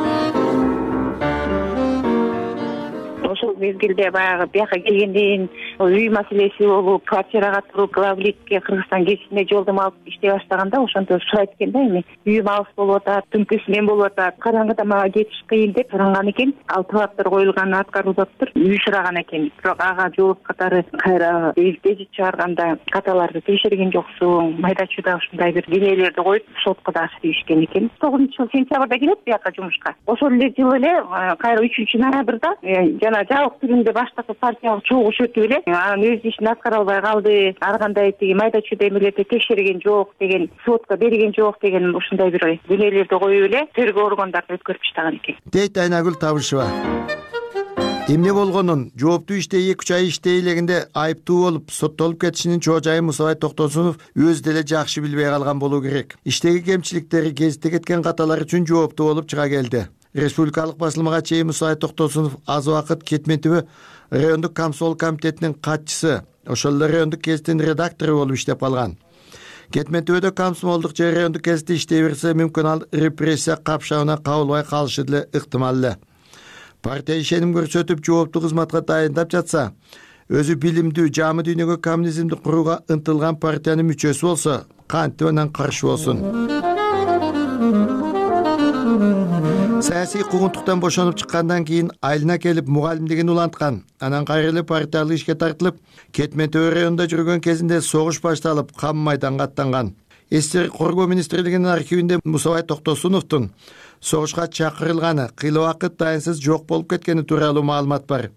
Ошол мезгилде баягы бияка келгенден үй маселеси болуп, квартирага туруп, главликке Кыргызстан гезитине жолдома алып иштей баштаганда ошондо сурайт экен да, эми үйүм алыс болуп атат, түнкүсү мен болуп атат, караңгыда мага кетиш кыйын деп суранган экен. Ал талаптар коюлганын аткарылыптыр. Үй сураган экен. Бирок ага жооп катары кайра гезит чыгарганда каталарды текшерген жоксуң, майда чүйда ушундай бир денелерди коюп сотко да дейишкен экен. тогузунчу жыл сентябрда келет бияка жумушка. Ошол эле жыл эле кайра үчүнчү ноябрда жана жабык түрүндө баштапкы партиялык чогуш өтүп эле анын өз ишин аткара албай калды, ар кандай тиги майда чүйда эмелерди текшерген жок деген, сотко берген жок деген ушундай бир денелерди коюп эле тергөө органдарына өткөрүп таштаган экен. Дейт Айнагүл Табышева. Эмне болгонун, жооптуу иште эки үч ай иштей элегинде айыптуу болуп, соттолуп кетишинин чоо жайын Мусабай Токтосунов өзү деле жакшы билбей калган болуу керек. Иштеги кемчиликтери, гезитте кеткен каталар үчүн жооптуу болуп чыга келди. Республикалык басылмага чейин Мусабай Токтосунов аз убакыт Кетмен түбү райондук комсомол комитетинин катчысы, ошол эле райондук гезиттин редактору болуп иштеп калган. Кетмен түбөдө комсомолдук же райондук гезитте иштей берсе, мүмкүн ал репрессия капшабына кабылбай калышы деле ыктымал эле. Партия ишеним көрсөтүп жооптуу кызматка дайындап жатса, өзү билимдүү, жамы дүйнөгө коммунизмди курууга ынтылган партиянын мүчөсү болсо, кантип анан каршы болсун? Саясий куугунтуктан бошонуп чыккандан кийин айылына келип мугалимдигин уланткан. Анан кайра эле партиялык ишке тартылып, Кетмен түбө районунда жүргөн кезинде согуш башталып, кам майданга аттанган. Эстер коргоо министрлигинин архивинде Мусабай Токтосуновдун согушка чакырылганы, кыйла убакыт дайынсыз жок болуп кеткени тууралуу маалымат бар.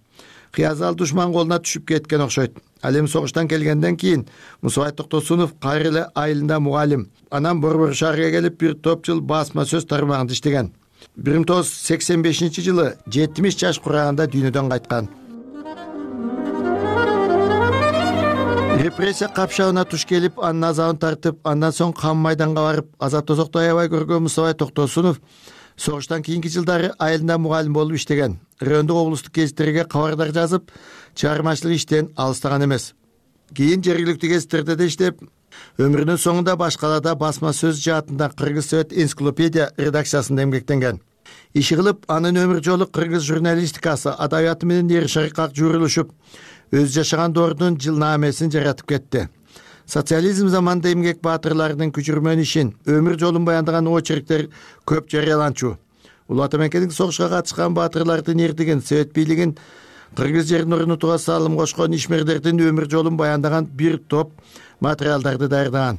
Кыязал душман колуна түшүп кеткен окшойт. Ал эми согуштан келгенден кийин Мусабай Токтосунов кайра эле айылында мугалим. Анан Борбор шаарга келип бир топ жыл басма сөз тармагында иштеген. бир миң тогуз жүз сексен бешинчи жылы жетимиш жаш кураганда дүйнөдөн кайткан. Репрессия капшабына туш келип, анын азабын тартып, андан соң кам майданга барып, азап тозокту аябай көргөн Мусабай Токтосунов согуштан кийинки жылдары айылында мугалим болуп иштеген. Райондук облустук гезиттерге кабардар жазып, чыгармачылык иштен алыстаган эмес. Кийин жергиликтүү гезиттерде да иштеп, өмүрүнүн соңунда баш калаада басма сөз жаатында Кыргыз Совет энциклопедия редакциясында эмгектенген. Иши кылып, анын өмүр жолу кыргыз журналистикасы, адабияты менен эр шарыкка журулушуп, өз жашаган доордун жылнаамесин жаратып кетти. Социализм заманында эмгек баатырларынын күчүрмөн ишин, өмүр жолун баяндаган очерктер көп жарыяланчу. Улуу ата мекендик согушка катышкан баатырлардын эрдигин, Совет бийлигин кыргыз жерин орнотууга салым кошкон ишмерлердин өмүр жолун баяндаган бир топ материалдарды даярдаган.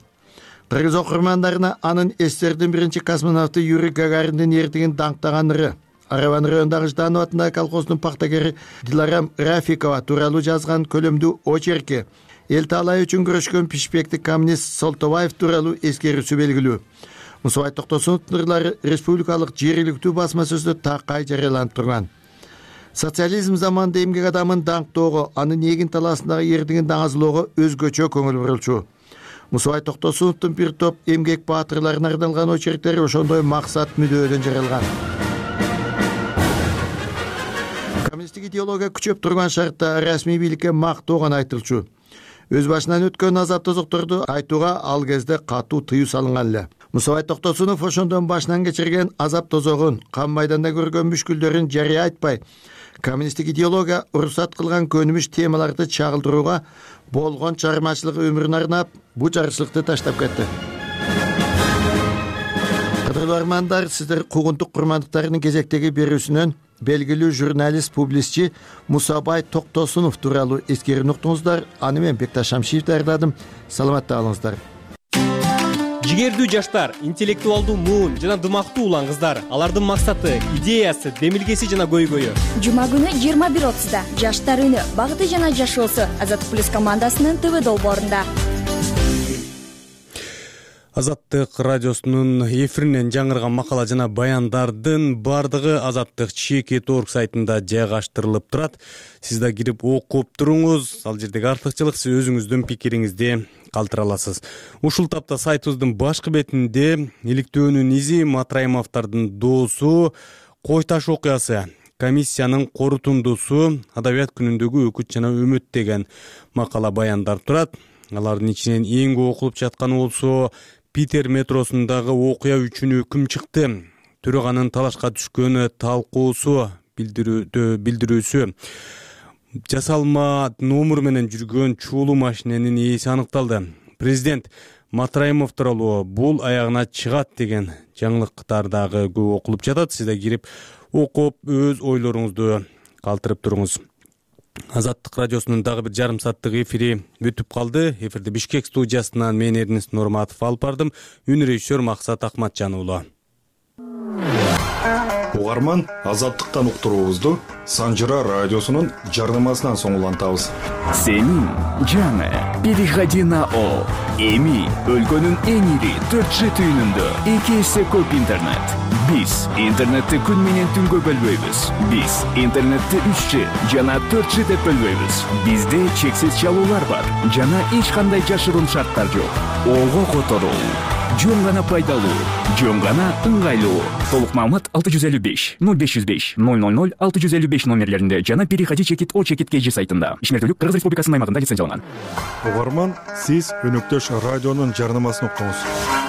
Кыргыз окурмандарына анын эстердин биринчи космонавту Юрий Гагариндин эрдигин даңктаган ыры, Арабан районундагы Жданов атындагы колхоздун пактагери Диларам Рафикова тууралуу жазган көлөмдүү очерки, эл таалай үчүн күрөшкөн пишпектик коммунист Солтобаев тууралуу эскерүүсү белгилүү. Мусабай Токтосуновдун ырлары республикалык жергиликтүү басма сөздө такай жарыяланып турган. Социализм заманында эмгек адамын даңктоого, анын эгин талаасындагы эрдигин даңазылоого өзгөчө көңүл бурулчу. Мусабай Токтосуновдун бир топ эмгек баатырларына арналган очерктери ошондой максат мүдөөдөн жаралган. Коммунисттик идеология күчөп турган шартта расмий бийликке мактоо гана айтылчу. Өз башынан өткөн азап тозокторду айтууга ал кезде катуу тыюу салынган эле. Мусабай Токтосунов ошондон башынан кечирген азап тозогун, кам майданда көргөн мүшкүлдөрүн жарыя айтпай, коммунисттик идеология уруксат кылган көнүмүш темаларды чагылдырууга болгон чыгармачылык өмүрүн арнап, бу жарычылыкты таштап кетти. Кадырлуу армандар, сиздер куугунтук курмандыктарынын кезектеги берүүсүнөн белгилүү журналист, публистчи Мусабай Токтосунов тууралуу эскерүүнү уктуңуздар. Аны мен Бекташ Шамшиев даярдадым. Саламатта калыңыздар. Жигердүү жаштар, интеллектуалдуу муун жана дымактуу улан кыздар. Алардын максаты, идеясы, демилгеси жана көйгөйү. Жума күнү жыйырма бир отузда Жаштар үнү, багыты жана жашоосу Азаттык плюс командасынын ТВ долбоорунда. Азаттык радиосунун эфиринен жаңырган макала жана баяндардын баардыгы Азаттык чекит орг сайтында жайгаштырылып турат. Сиз да кирип окуп туруңуз. Ал жердеги артыкчылык сиз өзүңүздүн пикириңизди калтыра аласыз. Ушул тапта сайтыбыздын башкы бетинде иликтөөнүн изи Матраимовдордун доосу Кой таш окуясы, комиссиянын корутундусу, адабият күнүндөгү өкүт жана үмүт деген макала баяндар турат. Алардын ичинен эң көп окулуп жатканы болсо Питер метросундагы окуя үчүн өкүм чыкты. Төраганын талашка түшкөнү талкуусу билдирүүсү. Жасалма номер менен жүргөн чуулуу машиненин ээси аныкталды. Президент Матраимов тууралуу бул аягына чыгат деген жаңылыктар дагы көп окулуп жатат. Сиз да кирип окуп өз ойлоруңузду калтырып туруңуз. Азаттык радиосунун дагы бир жарым сааттык эфири бүтүп калды. Эфирди Бишкек студиясынан мен Эрнест Нурматов алып бардым. Үн режиссер Максат Акматжан уулу. Угарман, Азаттыктан уктуруубузду Санжыра радиосунун жарнамасынан соң улантабыз. Сенин жаңы переходи на О. Эми өлкөнүн эң ири төрт жи түйүнүндө эки эсе көп интернет. Биз интернетти күн менен түнгө бөлбөйбүз. Биз интернетти үч жи жана төрт жи деп бөлбөйбүз. Бизде чексиз чалуулар бар жана эч кандай жашыруун шарттар жок. Ого которуу, жөн гана пайдалуу, жөн гана ыңгайлуу. Толук маалымат алты жүз элүү беш ноль беш жүз беш ноль ноль ноль алты жүз элүү беш номерлеринде жана переходи чекит о чекит kg сайтында. Ишмердүүлүк Кыргыз Республикасынын аймагында лицензияланган. Угарман, сиз өнөктөш радионун жарнамасын уктуңуз.